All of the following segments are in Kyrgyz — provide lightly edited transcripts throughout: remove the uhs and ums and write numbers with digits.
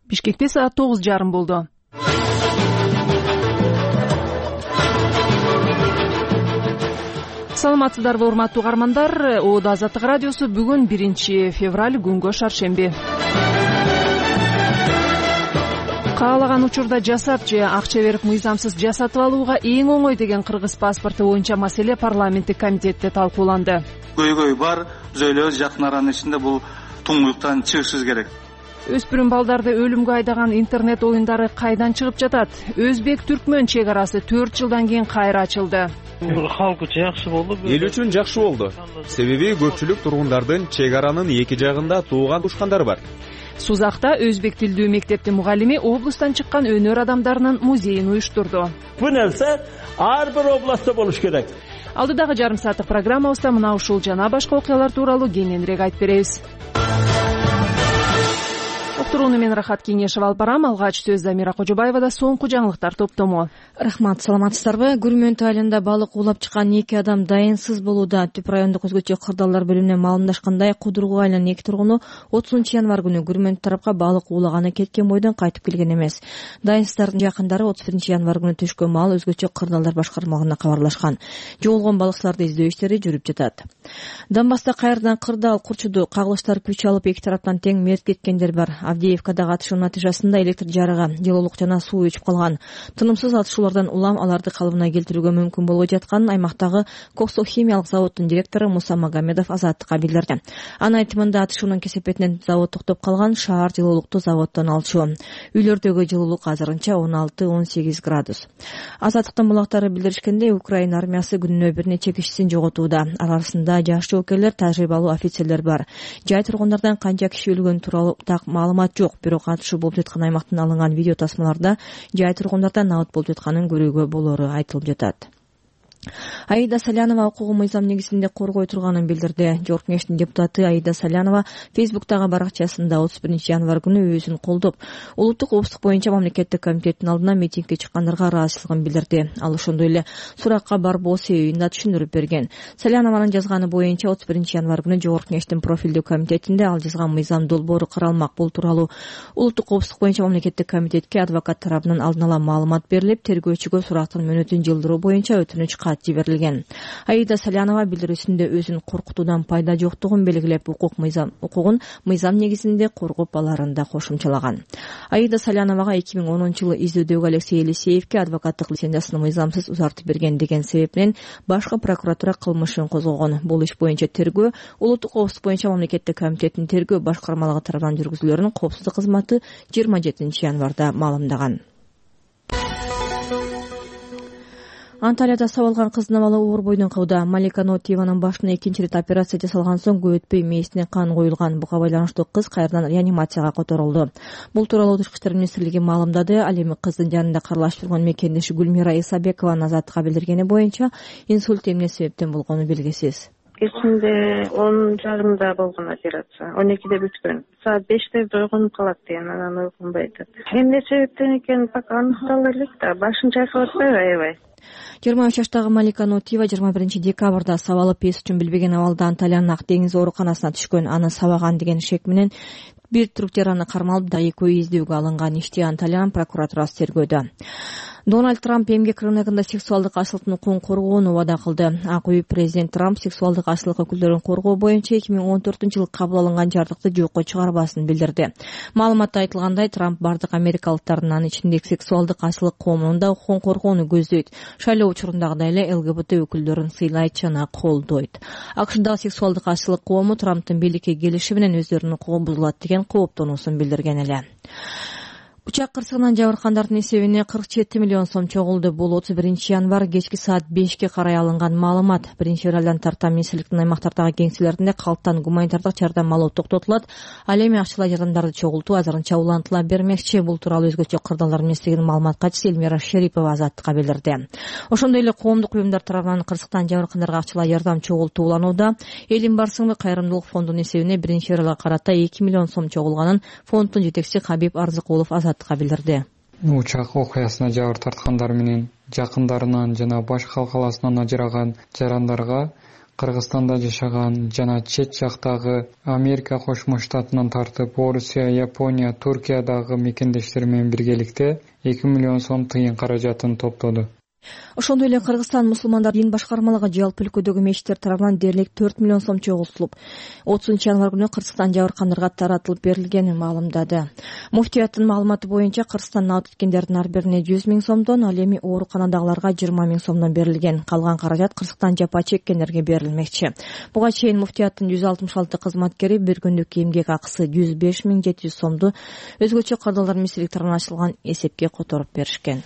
Бишкекте саат 9:30 болду. Саламатсыздарбы, урматтуу угармандар. Оодо Азаттык радиосу бүгүн 1 февраль күнгө шаршемби. Каалаган учурда жасап же акча берип мыйзамсыз жасатып алууга эң оңой деген кыргыз паспорту боюнча маселе парламенттик комитетте талкууланды. Көйгөй бар, биз ойлойбуз жакын аранын ичинде бул туңгуюктан чыгышыбыз керек. Өспүрүм балдарды өлүмгө айдаган интернет оюндары кайдан чыгып жатат? Өзбек-түркмөн чек арасы 4 жылдан кийин кайра ачылды. Халк үчүн жакшы болду. Эл үчүн жакшы болду. Себеби көпчүлүк тургундардын чек аранын эки жагында тууган тушкандары бар. Сузакта өзбек тилдүү мектептин мугалими облустан чыккан өнөр адамдарынын музейин уюштурду. Бу нерсе ар бир областта болуш керек. Алдыдагы жарым сааттык программабызда мына ушул жана башка окуялар тууралуу кененирээк айтып беребиз. Уктурууну мен Рахат Кеңешев алып барам. Алгач сөз Замира Кожобаевада соңку жаңылыктар топтому. Рахмат, саламатсыздарбы? Күрмөнтү айылында балык уулап чыккан 2 адам дайынсыз болууда. Түп райондук өзгөчө кырдаалдар бөлүмүнөн маалымдашкандай, Кудургу айылынын 2 тургуну 30 январь күнү Күрмөнтү тарапка балык уулаганы кеткен бойдон кайтып келген эмес. Дайынсыздардын жакындары 31 январь күнү түшкөн маал өзгөчө кырдаалдар башкармалыгына кабарлашкан. Жоголгон балыкчыларды издөө иштери жүрүп жатат. Донбасста кайрадан кырдаал курчуду. Кагылыштар күч алып, эки тараптан тең мерт кеткендер бар. Авдеевкадагы атышуу натыйжасында электр жарыгы, жылуулук жана суу өчүп калган. Тынымсыз атышуулардан улам аларды калыбына келтирүүгө мүмкүн болбой жатканын аймактагы Коксо химиялык заводдун директору Муса Магомедов Азаттыкка билдирди. Анын айтымында атышуунун кесепетинен завод токтоп калган, шаар жылуулукту заводдон алчу. Үйлөрдөгү жылуулук азырынча 16-18 градус. Азаттыктын булактары билдиришкендей, Украина армиясы күнүнө бир нече кишисин жоготууда. Арасында жаш жоокерлер, тажрыйбалуу офицерлер бар. Жай тургундардан канча киши өлгөнү тууралуу так маалымат жок, бирок атышуу болуп жаткан аймактан алынган видео тасмаларда жай тургундардан абыт болуп жатканын көрүүгө болору айтылып жатат. Аида Салянова укугун мыйзам негизинде коргой турганын билдирди. Жогорку Кеңештин депутаты Аида Салянова Фейсбуктагы баракчасында 31 январь күнү өзүн колдоп, улуттук коопсуздук боюнча мамлекеттик комитеттин алдына митингге чыккандарга ыраазычылыгын билдирди. Ал ошондой эле суракка барбоо себебин да түшүндүрүп берген. Салянованын жазганы боюнча 31 январь күнү Жогорку Кеңештин профилдүү комитетинде ал жазган мыйзам долбоору каралмак. Бул тууралуу улуттук коопсуздук боюнча мамлекеттик комитетке адвокат тарабынан алдын ала маалымат берилип, тергөөчүгө сурактын мөөнөтүн жылдыруу боюнча өтүнүч жиберилген. Аида Салянова билдирүүсүндө өзүн коркутуудан пайда жоктугун белгилеп, укугун мыйзам негизинде коргоп аларын да кошумчалаган. Аида Саляновага 2010-жылы издөдөгү Алексей Елисеевке адвокаттык лицензиясын мыйзамсыз узартып берген деген себептен башкы прокуратура кылмышын козгогон. Бул иш боюнча тергөө улуттук коопсуздук боюнча мамлекеттик комитеттин тергөө башкармалыгы тарабынан жүргүзүлөрүн коопсуздук кызматы 27 январда маалымдаган. Анталияда сабалган кыздын абалы оор бойдон калууда. Малика Нотиеванын башына экинчи рет операция жасалган соң көп өтпөй мээсине кан коюлган. Буга байланыштуу кыз кайрадан реанимацияга которулду. Бул тууралуу Тышкы иштер министрлиги маалымдады. Ал эми кыздын жанында карлашып турган мекендеши Гүлмира Исабекованын Азаттыкка билдиргени боюнча инсульт эмне себептен болгону белгисиз. Кечинде 10:30 болгон операция. 12-де бүткөн. Саат 5-те ойгонуп калат деген, анан ойгонбой атат. Эмне себептен экени пока аныктала элек да, башын чайкап атпайбы аябай. 23 жаштагы Малика Нотиева 21 декабрда сабалып эс үчүн билбеген абалда Анталиянын Ак деңиз ооруканасына түшкөн. Аны сабаган деген шек менен бир түрктөр аны кармалып да экөө издөөгө алынган. Ишти Анталиянын прокуратурасы тергөөдө. Дональд Трамп эмгек рыногунда сексуалдык ашылыктын укугун коргоону убада кылды. Ак үй президент Трамп сексуалдык ашылык өкүлдөрүн коргоо боюнча 2014-жылы кабыл алынган жардыкты жокко чыгарбасын билдирди. Маалыматта айтылгандай, Трамп бардык америкалыктардын, анын ичинде сексуалдык ашылык коомунун да укугун коргоону көздөйт. Шайлоо учурундагыдай эле ЛГБТ өкүлдөрүн сыйлайт жана колдойт. АКШдагы сексуалдык ашылык коому Трамптын бийликке келиши менен өздөрүнүн укугу бузулат деген кооптонуусун билдирген эле. Учак кырсыгынан жабыркандардын эсебине 47 миллион сом чогулду. Бул 31 январь кечки саат 5-ке карай алынган маалымат. 1-февралдан тарта министрликтин аймактардагы кеңселеринде калктан гуманитардык жардам алуу токтотулат. Ал эми акчалай жардамдарды чогултуу азырынча улантыла бермекчи. Бул тууралуу өзгөчө кырдаалдар министрлигинин маалымат катчысы Эльмира Шерипова Азаттыкка билдирди. Ошондой эле коомдук уюмдар тарабынан кырсыктан жабыркандарга акчалай жардам чогултуу уланууда. Элим барсыңбы кайрымдуулук фондунун эсебине 1-февралга карата 2 миллион сом чогулганын фонддун жетекчиси Хабиб Арзыкулов билдирди. Учак окуясына жабыр тарткандар менен жакындарынан жана башка калкаласынан ажыраган жарандарга Кыргызстанда жашаган жана чет жактагы Америка Кошмо Штатынан тартып Орусия, Япония, Туркиядагы мекендештер менен биргеликте 2 миллион сом тыйын каражатын топтоду. Ошондой эле Кыргызстан мусулмандар дин башкармалыгы жалпы өлкөдөгү мечиттер тарабынан дээрлик 4 миллион сом чогултулуп, 30-январь күнү Кыргызстан жабыркандарга таратылып берилгенин маалымдады. Муфтияттын маалыматы боюнча Кыргызстан абад эткендердин ар бирине 100 миң сомдон, ал эми ооруканадагыларга 20 миң сомдон берилген. Калган каражат Кыргызстан жапа чеккендерге берилмекчи. Буга чейин муфтияттын 166 кызматкери бир күндүк эмгек акысы 105.700 сомду өзгөчө кырдаалдар министрликтарынан ачылган эсепке которуп беришкен.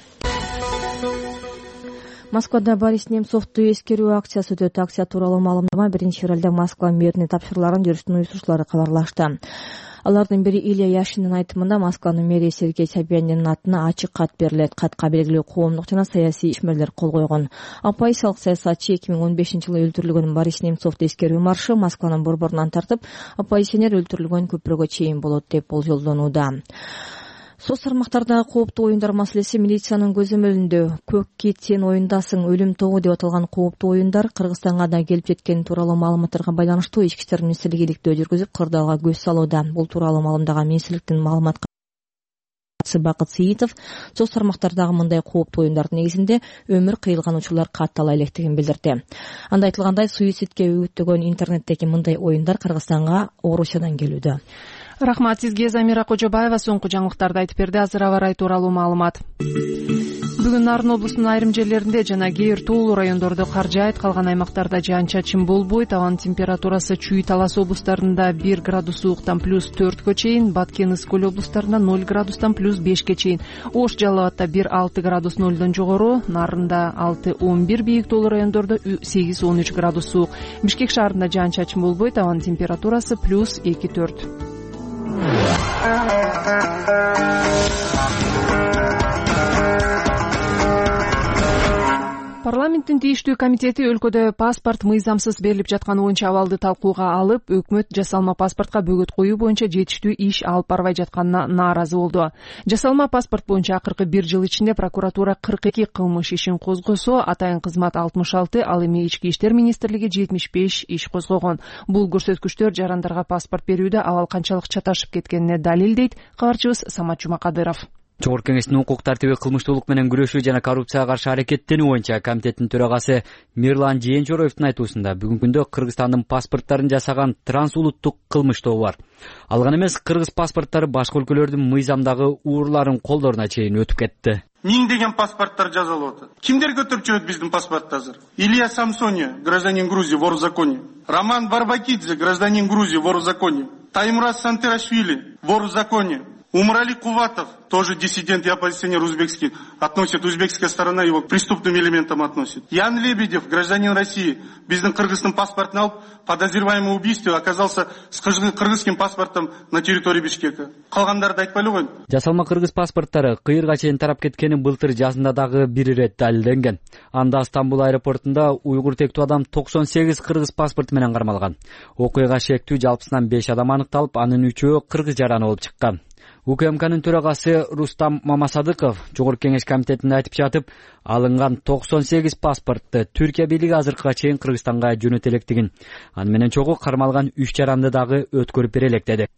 Москвада Борис Немцовду эскерүү акциясы өтөт. Акция тууралуу маалымдама 1-февралда Москва мэрине тапшырыларын жүрүштүн уюштуруучулары кабарлашты. Алардын бири Илья Яшиндин айтымында Москванын мэри Сергей Собяниндин атына ачык кат берилет. Катка белгилүү коомдук жана саясий ишмерлер кол койгон. Оппозициялык саясатчы 2015-жылы өлтүрүлгөн Борис Немцовду эскерүү маршы Москванын борборунан тартып, оппозиционер өлтүрүлгөн көпүрөгө чейин болот деп болжолдонууда. Соц тармактардагы кооптуу оюндар маселеси милициянын көзөмөлүндө. Көк кит сен оюндасың, өлүм тобу деп аталган кооптуу оюндар Кыргызстанга да келип жеткени тууралуу маалыматтарга байланыштуу Ички иштер министрлиги иликтөө жүргүзүп, кырдаалга көз салууда. Бул тууралуу маалымдаган министрликтин маалымат Бакыт Сиитов соц тармактардагы мындай кооптуу оюндардын негизинде өмүр кыйылган учурлар каттала электигин билдирди. Анда айтылгандай, суицидке үгүттөгөн интернеттеги мындай оюндар Кыргызстанга Орусиядан келүүдө. Рахмат сизге, Замира Кожобаева соңку жаңылыктарды айтып берди. Азыр аба ырайы тууралуу маалымат. Бүгүн Нарын облусунун айрым жерлеринде жана кээ бир туулуу райондордо кар жаайт, калган аймактарда жаан-чачын болбойт. Абанын температурасы Чүй, Талас облустарында 1 градус сууктан +4 чейин, Баткен, Ысык-Көл облустарында 0 градустан +5 чейин, Ош, Жалал Абадта 1-6 градус 0дон жогору, Нарында 6-11, бийик тоолуу райондордо 8-13 градус суук. Бишкек шаарында жаан-чачын болбойт, абанын температурасы +2-4. Парламенттин тийиштүү комитети өлкөдө паспорт мыйзамсыз берилип жатканы боюнча абалды талкууга алып, өкмөт жасалма паспортко бөгөт коюу боюнча жетиштүү иш алып барбай жатканына нааразы болду. Жасалма паспорт боюнча акыркы 1 жыл ичинде прокуратура 42 кылмыш ишин козгосо, атайын кызмат 66, ал эми Ички иштер министрлиги 75 иш козгогон. Бул көрсөткүчтөр жарандарга паспорт берүүдө абал канчалык чаташып кеткенине далил, дейт кабарчыбыз Самат Жумакадыров. Жогорку кеңештин укук тартиби, кылмыштуулук менен күрөшүү жана коррупцияга каршы аракеттенүү боюнча комитеттин төрагасы Мирлан Жээнчороевдун айтуусунда бүгүнкү күндө Кыргызстандын паспорттарын жасаган трансулуттук кылмыш тобу бар. Ал гана эмес, кыргыз паспорттары башка өлкөлөрдүн мыйзамдагы уурларын колдоруна чейин өтүп кетти. Миңдеген паспорттар жазалып атат. Кимдер көтөрүп жүрөт биздин паспортты азыр? Илья Самсония, гражданин Грузии, вор в законе. Роман Барбакидзе, гражданин Грузии, вор в законе. Таймураз Сантерашвили, вор в законе. Умрали Куватов, тоже диссидент и оппозиционер узбекский, относит, узбекская сторона его к преступным элементам относит. Ян Лебедев, гражданин России, биздин кыргыздын паспортун алып, подозреваемый в убийстве оказался с кыргызским паспортом на территории Бишкека. Калгандарды айтпайлы койгон. Жасалма кыргыз паспорттары кыйырга чейин тарап кеткени былтыр жазында дагы бир ирет далилденген. Анда Стамбул аэропортунда уйгур тектүү адам 98 кыргыз паспорту менен кармалган. Окуяга шектүү жалпысынан 5 адам аныкталып, анын 3-өө кыргыз жараны болуп чыккан. УКМКнын төрагасы Рустам Мамасадыков Жогорку кеңеш комитетинде айтып жатып, алынган 98 паспортты Түркия бийлиги азыркыга чейин Кыргызстанга жөнөтө электигин, аны менен чогуу кармалган 3 жаранды дагы өткөрүп бере элек деди.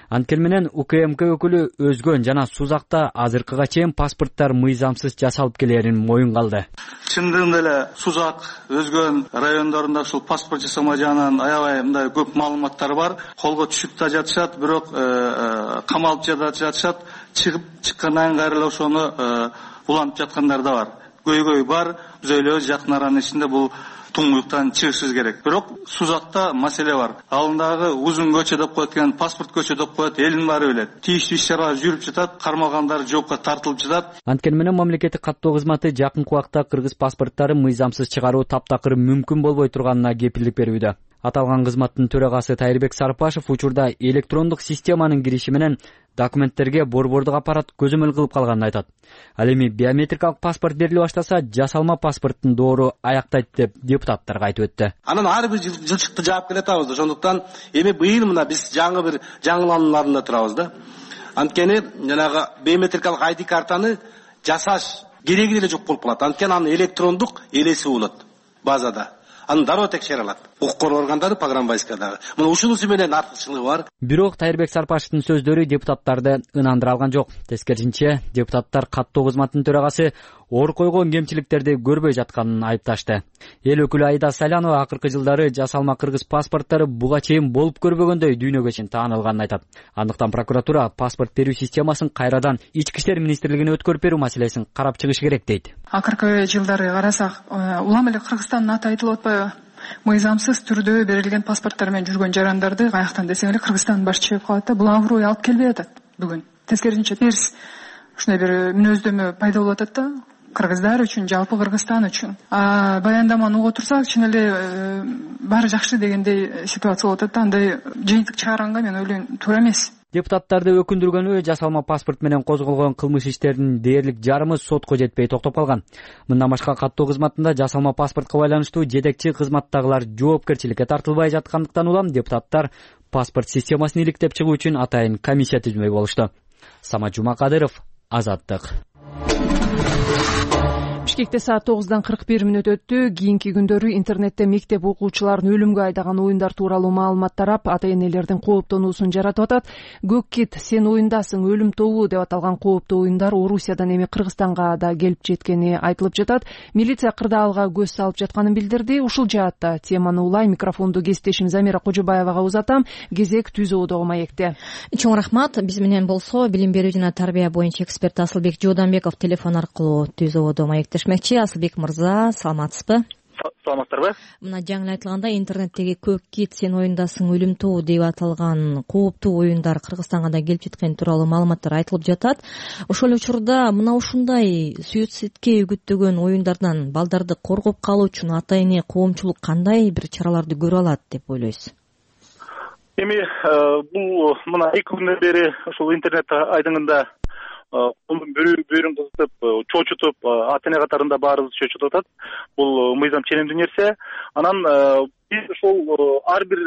Анткени менен УКМК өкүлү Өзгөн жана Сузакта азыркыга чейин паспорттар мыйзамсыз жасалып келерин моюнга алды. Чындыгында эле Сузак, Өзгөн райондорунда ушул паспорт жасама жагынан аябай мындай көп маалыматтар бар. Колго түшүп да жатышат, бирок камалып жатышат, чыккандан кийин эле ошону улантып жаткандар да бар. Көйгөй бар, биз ойлойбуз жакын аранын ичинде бул туңгуюктан чыгышыбыз керек. Бирок Сузакта маселе бар. Алындагы узун көчө деп коет экен, паспорт көчө деп коет, элдин баары билет. Тийиштүү иш-чаралар жүрүп жатат, кармалгандар жоопко тартылып жатат. Анткени менен мамлекеттик каттоо кызматы жакынкы убакта кыргыз паспорттары мыйзамсыз чыгаруу таптакыр мүмкүн болбой турганына кепилдик берүүдө. Аталган кызматтын төрагасы Тайырбек Сарпашев учурда электрондук системанын кириши менен документтерге борбордук аппарат көзөмөл кылып калганын айтат. Ал эми биометрикалык паспорт бериле баштаса, жасалма паспорттун доору аяктайт деп депутаттарга айтып өттү. Анан ар бир жылчыкты жаап келатабыз. Ошондуктан эми быйыл мына биз жаңы бир жаңыланууларында турабыз да. Анткени жанагы биометрикалык ID картаны жасаш кереги эле жок болуп калат. Анткени анын электрондук элеси болот базада. аны дароо текшере алат укук коргоо органдары, погранбайскадагы. Мына ушунусу менен артыкчылыгы бар. Бирок Тайырбек Сарпашевдин сөздөрү депутаттарды ынандыра алган жок. Тескерисинче, депутаттар каттоо кызматынын төрагасы оор койгон кемчиликтерди көрбөй жатканын айыпташты. Эл өкүлү Айда Салянова акыркы жылдары жасалма кыргыз паспорттору буга чейин болуп көрбөгөндөй дүйнөгө чейин таанылганын айтат. Андыктан прокуратура паспорт берүү системасын кайрадан Ички иштер министрлигине өткөрүп берүү маселесин карап чыгыш керек дейт. Акыркы жылдары карасак, улам эле Кыргызстандын аты айтылып атпайбы? Мыйзамсыз түрдө берилген паспорттор менен жүргөн жарандарды каяктан десең эле Кыргызстандын башы чыгып калат да, бул аброй алып келбей атат бүгүн. Тескерисинче терс ушундай бир мүнөздөмө пайда болуп атат да. Кыргыздар үчүн, жалпы Кыргызстан үчүн. Баяндаманы угуп турсак, чын эле баары жакшы дегендей ситуация болуп атат да. Андай жыйынтык чыгарганга мен ойлойм, туура эмес. Депутаттарды өкүндүргөнү жасалма паспорт менен козголгон кылмыш иштеринин дээрлик жарымы сотко жетпей токтоп калган. Мындан башка каттоо кызматында жасалма паспортко байланыштуу жетекчи кызматтагылар жоопкерчиликке тартылбай жаткандыктан улам депутаттар паспорт системасын иликтеп чыгуу үчүн атайын комиссия түзмөй болушту. Самат Жумакадыров, Азаттык. Бишкекте саат 9:41 өттү. Кийинки күндөрү интернетте мектеп окуучуларын өлүмгө айдаган оюндар тууралуу маалымат тарап, ата-энелердин кооптонуусун жаратып атат. Көк кит, сен оюндасың, өлүм тобу деп аталган кооптуу оюндар Орусиядан эми Кыргызстанга да келип жеткени айтылып жатат. Милиция кырдаалга көз салып жатканын билдирди. Ушул жаатта теманы улай микрофонду кесиптешим Замира Кожобаевага узатам. Кезек Түз Оодогу маекте. Чоң рахмат. Биз менен болсо билим берүү жана тарбия боюнча эксперт Асылбек Жооданбеков телефон аркылуу Түз Оодо маектешмекчи. Асылбек мырза, саламатсызбы? Саламатсыздарбы? Мына жаңы айтылганда интернеттеги көк кит, сен оюндасың, өлүм тобу деп аталган кооптуу оюндар Кыргызстанга да келип жеткени тууралуу маалыматтар айтылып жатат. Ошол учурда мына ушундай суицидке үгүттөгөн оюндардан балдарды коргоп калуу үчүн ата-эне, коомчулук кандай бир чараларды көрө алат деп ойлойсуз? Эми бул мына 2 күндөн бери ошол интернет айдыңында бөөрүн кызытып, чочутуп, ата-эне катарында баарыбыз чочутуп атат. Бул мыйзам ченемдүү нерсе. Анан биз ошол ар бир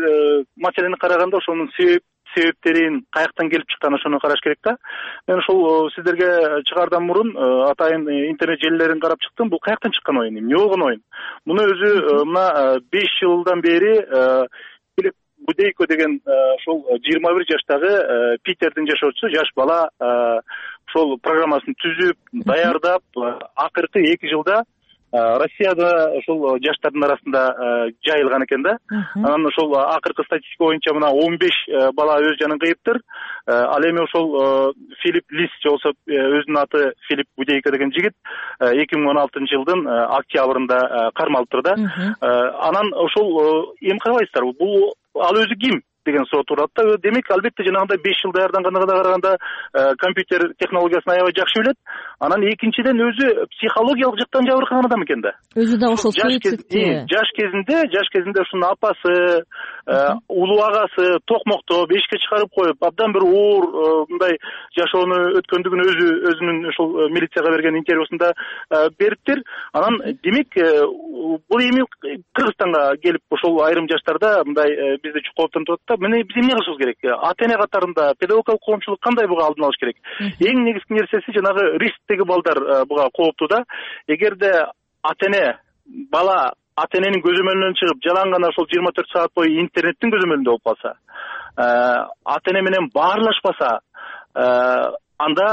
маселени караганда ошонун себептерин, каяктан келип чыкканын ошону караш керек да. Мен ошол сиздерге чыгаардан мурун атайын интернет желилерин карап чыктым. Бул каяктан чыккан оюн, эмне болгон оюн? Муну өзү мына 5 жылдан бери Филипп Будейко деген ошол 21 жаштагы Питердин жашоочусу, жаш бала ошол программасын түзүп, даярдап, акыркы 2 жылда Россияда ошол жаштардын арасында жайылган экен да. Анан ошол акыркы статистика боюнча мына 15 бала өз жанын кыйыптыр. Ал эми ошол Филипп Лис болсо өзүнүн аты Филипп Будейко деген жигит 2016 жылдын октябрында кармалыптыр да. Анан ошол эми карабайсыздарбы, бул ал өзү ким деген суроо турат да. Демек, албетте жанагындай 5 жыл даярданганга караганда компьютер технологиясын аябай жакшы билет. Анан экинчиден өзү психологиялык жактан жабыркаган адам экен да. Өзү да ошол суицидке. Жаш кезинде ушунун апасы, улуу агасы токмоктоп, эшикке чыгарып коюп, абдан бир оор мындай жашоону өткөндүгүн өзүнүн ошол милицияга берген интервьюсунда бериптир. Анан демек, бул эми Кыргызстанга келип ошол айрым жаштарда мындай бизди кооптонуп атат да. Мына биз эмне кылышыбыз керек? Ата-эне катарында педагогикалык коомчулук кандай буга алдын алыш керек? Эң негизги нерсеси жанагы рисктеги балдар буга кооптуу да. Эгерде ата-эне бала ата-эненин көзөмөлүнөн чыгып, жалаң гана ошол 24 саат бою интернеттин көзөмөлүндө болуп калса, ата-эне менен баарлашпаса, анда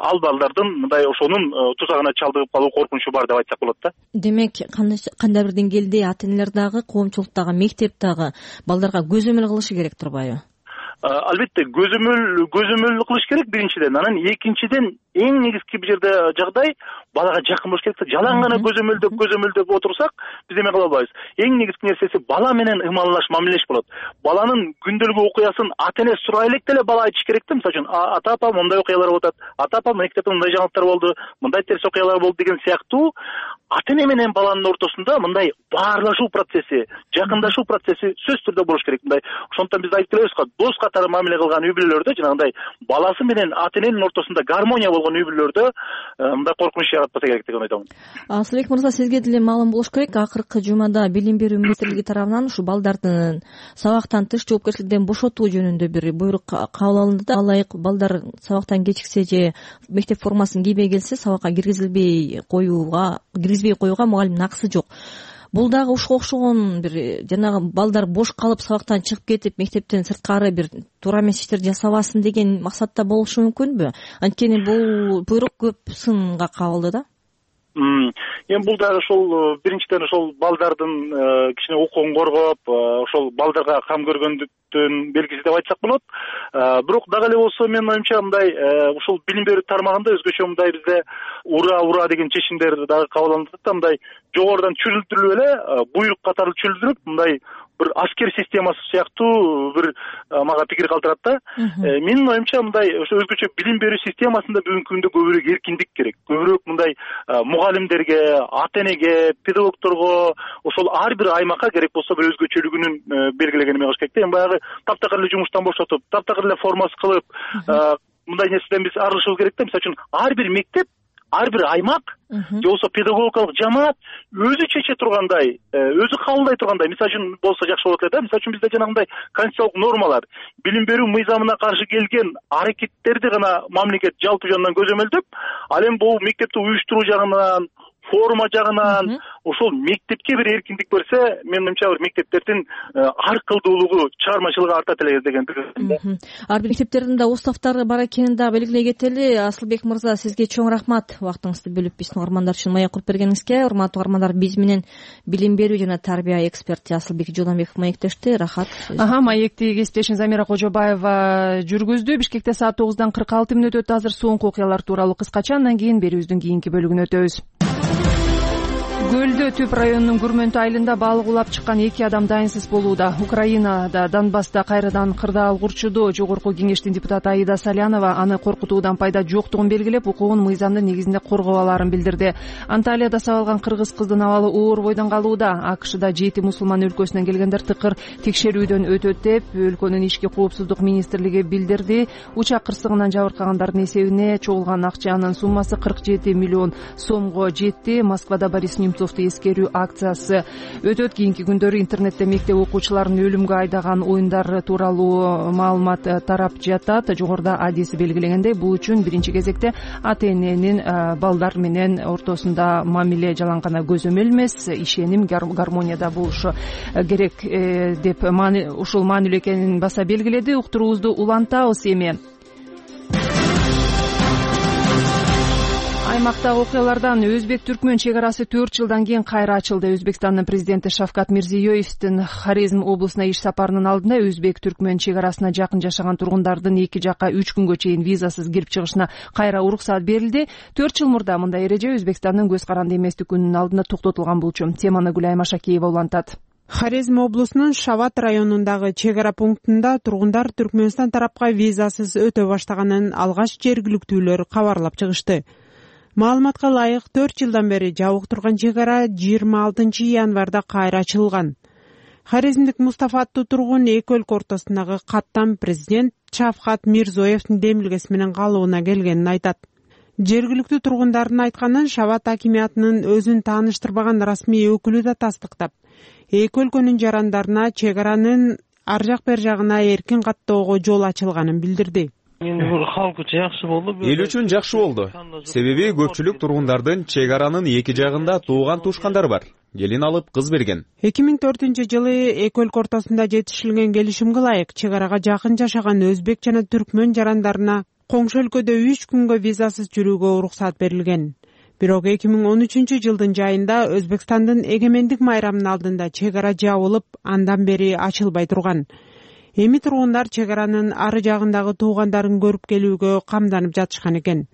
ал балдардын мындай ошонун тузагына чалдыгып калуу коркунучу бар деп айтсак болот да. Демек, кандай бир деңгээлде ата-энелер дагы, коомчулук дагы, мектеп дагы балдарга көзөмөл кылышы керек турбайбы? Албетте көзөмөл кылыш керек биринчиден. Анан экинчиден эң негизги бир жерде жагдай балага жакын болуш керек. Жалаң гана көзөмөлдөп отурсак, биз эме кыла албайбыз. Эң негизги нерсеси бала менен ымалаш, мамилелеш болот. Баланын күндөлүк окуясын ата-эне сурай элек деле бала айтыш керек да. Мисалы үчүн, ата-апа мындай окуялар болуп атат, ата-апа мектепте мындай жаңылыктар болду, мындай терс окуялар болду деген сыяктуу ата-эне менен баланын ортосунда мындай баарлашуу процесси, жакындашуу процесси сөзсүз түрдө болуш керек. Мындай ошондон биз айтып келебиз го, дос катары мамиле кылган үй-бүлөлөрдө жанагындай баласы менен ата-эненин ортосунда гармония болгон үй-бүлөлөрдө мындай коркунуч жаратпаса керек деген ойдомун. Асылбек мырза, сизге деле маалым болуш керек. Акыркы жумада Билим берүү министрлиги тарабынан ушу балдардын сабактан тыш жоопкерчиликтен бошотуу жөнүндө бир буйрук кабыл алынды да. Алайык балдар сабактан кечиксе же мектеп формасын кийбей келсе, сабакка киргизбей коюуга мугалимдин акысы жок. Бул дагы ушуга окшогон бир жанагы балдар бош калып сабактан чыгып кетип мектептен сырткары бир туура эмес иштер жасабасын деген максатта болушу мүмкүнбү? Анткени бул буйрук көп сынга кабылды да. Эми бул дагы ошол биринчиден ошол балдардын кичине укугун коргоп, ошол балдарга кам көргөндүктүн белгиси деп айтсак болот. Бирок дагы эле болсо менин оюмча мындай ушул билим берүү тармагында өзгөчө мындай бизде ура деген чечимдер дагы кабыл алынып атат да, мындай жогорудан чүрүлтүрүп эле буйрук катары чүрүлтүрүп мындай бир аскер системасы сыяктуу бир мага пикир калтырат да. Менин оюмча мындай ошо өзгөчө билим берүү системасында бүгүнкү күндө көбүрөөк эркиндик керек. Көбүрөөк мындай мугалимдерге, ата энеге, педагогторго, ошол ар бир аймакка керек болсо бир өзгөчөлүгүнүн белгилеген эме кылыш керек да. Эми баягы таптакыр эле жумуштан бошотуп, таптакыр эле формасы кылып, мындай нерседен биз арылышыбыз керек да. Мисалы үчүн ар бир мектеп, ар бир аймак же болбосо педагогикалык жамаат өзү чече тургандай, өзү кабылдай тургандай мисалы үчүн болсо жакшы болот эле да. Мисалы үчүн бизде жанагындай конституциялык нормалар, билим берүү мыйзамына каршы келген аракеттерди гана мамлекет жалпы жөнүнөн көзөмөлдөп, ал эми бул мектепти уюштуруу жагынан, форма жагынан ошол мектепке бир эркиндик берсе, менин оюмча бир мектептердин ар кылдуулугу, чыгармачылыгы артат эле деген пикир. Ар бир мектептердин да уставтары бар экенин да белгилей кетели. Асылбек мырза, сизге чоң рахмат убактыңызды бөлүп биздин угармандар үчүн маек куруп бергениңизге. Урматтуу угармандар, биз менен билим берүү жана тарбия эксперти Асылбек Жолдонбеков маектешти. Рахат. Маекти кесиптешим Замира Кожобаева жүргүздү. Бишкекте саат 9:46 өтөт. Азыр соңку окуялар тууралуу кыскача, андан кийин берүүбүздүн кийинки бөлүгүнө өтөбүз. Көлдө Түп районунун Күрмөнтү айылында балык улап чыккан 2 адам дайынсыз болууда. Украинада Донбасста кайрадан кырдаал курчуду. Жогорку кеңештин депутаты Аида Салянова аны коркутуудан пайда жоктугун белгилеп, укугун мыйзамдын негизинде коргоо аларын билдирди. Анталияда сабалган кыргыз кыздын абалы оор бойдон калууда. АКШда 7 мусулман өлкөсүнөн келгендер тыкыр текшерүүдөн өтөт деп өлкөнүн ички коопсуздук министрлиги билдирди. Учак кырсыгынан жабыркагандардын эсебине чогулган акчанын суммасы 47 миллион сомго жетти. Москвада Борис Немцовду эскерүү акциясы өтөт. Кийинки күндөрү интернетте мектеп окуучуларын өлүмгө айдаган оюндар тууралуу маалымат тарап жатат. Жогоруда адиси белгилегендей, бул үчүн биринчи кезекте ата эненин балдар менен ортосунда мамиле жалаң гана көзөмөл эмес, ишеним, гармонияда болушу керек деп ушул маанилүү экенин баса белгиледи. Уктуруубузду улантабыз эми. Аймактагы окуялардан Өзбек-Түркмөн чек арасы 4 жылдан кийин кайра ачылды. Өзбекстандын президенти Шавкат Мирзиёевдин Хорезм облусуна иш сапарынын алдында Өзбек-Түркмөн чек арасына жакын жашаган тургундардын эки жакка 3 күнгө чейин визасыз кирип чыгышына кайра уруксаат берилди. 4 жыл мурда мындай эреже Өзбекстандын көз каранды эместигинин алдында токтотулган болчу. Теманы Гүлай Машакиева улантат. Хорезм облусунун Шават районундагы чек ара пунктунда тургундар Түркмөнстан тарапка визасыз өтө баштаганын алгач жергиликтүүлөр кабарлап чыгышты. Маалыматка ылайык 4 жылдан бери жабык турган чек ара 26 январда кайра ачылган. Хорезмдик Мустафа аттуу тургун эки өлкө ортосундагы каттам президент Шавкат Мирзиёевдин демилгеси менен калууна келгенин айтат. Жергиликтүү тургундардын айтканын Шават акимиятынын өзүн тааныштырбаган расмий өкүлү да тастыктап, эки өлкөнүн жарандарына чек аранын ар жак бер жагына эркин каттоого жол ачылганын билдирди. Халк үчүн жакшы болду. Эл үчүн жакшы болду. Себеби көпчүлүк тургундардын чек аранын эки жагында тууган тушкандар бар. Келин алып кыз берген. 2004-жылы эки өлкө ортосунда жетишилген келишимге ылайык чек арага жакын жашаган өзбек жана түркмөн жарандарына коңшу өлкөдө 3 күнгө визасыз жүрүүгө уруксаат берилген. Бирок 2013-жылдын жайында Өзбекстандын эгемендик майрамынын алдында чек ара жабылып, андан бери ачылбай турган. Эми тургундар чек аранын ары жагындагы туугандарын көрүп келүүгө камданып жатышкан экен.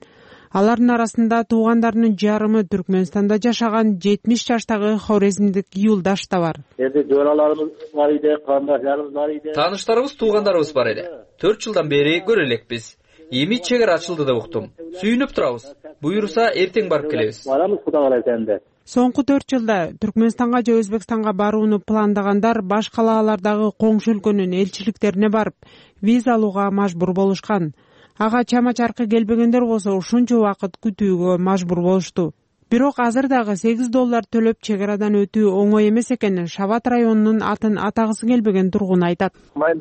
Алардын арасында туугандарынын жарымы Түркмөнстанда жашаган 70 жаштагы хорезмдик юлдаш да бар. Тааныштарыбыз, туугандарыбыз бар эле. 4 жылдан бери көрө элекпиз. Эми чек ара ачылды деп уктум. Сүйүнүп турабыз. Буюрса эртең барып келебиз. Соңку 4 жылда Түркмөнстанга же Өзбекстанга барууну пландагандар баш калаалардагы коңшу өлкөнүн элчиликтерине барып, виза алууга мажбур болушкан. Ага чама-чаркы келбегендер болсо ушунча убакыт күтүүгө мажбур болушту. Бирок азыр дагы $8 төлөп чек арадан өтүү оңой эмес экенин Шават районунун атын атагысы келбеген тургун айтат. Мен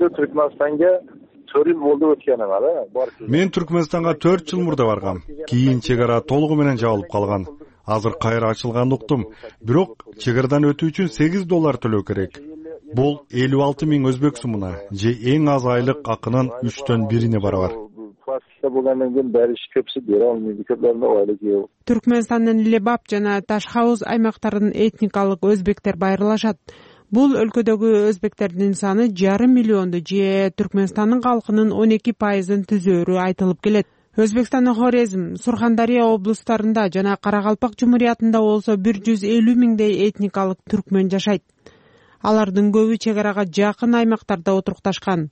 Түркмөнстанга 4 жыл мурда баргам. Кийин чек ара толугу менен жабылып калган. азыр кайра ачылганын уктум. Бирок чек арадан өтүү үчүн $8 төлөө керек. Бул 56 000 өзбек сумуна же эң аз айлык акынын 3төн 1-ине барабар. Түркмөнстандын Лебап жана Ташхауз аймактарынын этникалык өзбектер байырлашат. Бул өлкөдөгү өзбектердин саны 5,5 миллионду же Түркмөнстандын калкынын 12%-ын түзөөрү айтылып келет. Өзбекстандын Хорезм, Сурхандария облустарында жана Каракалпак Жумуриятында болсо 150 000дей этникалык түркмөн жашайт. Алардын көбү чек арага жакын аймактарда отурукташкан.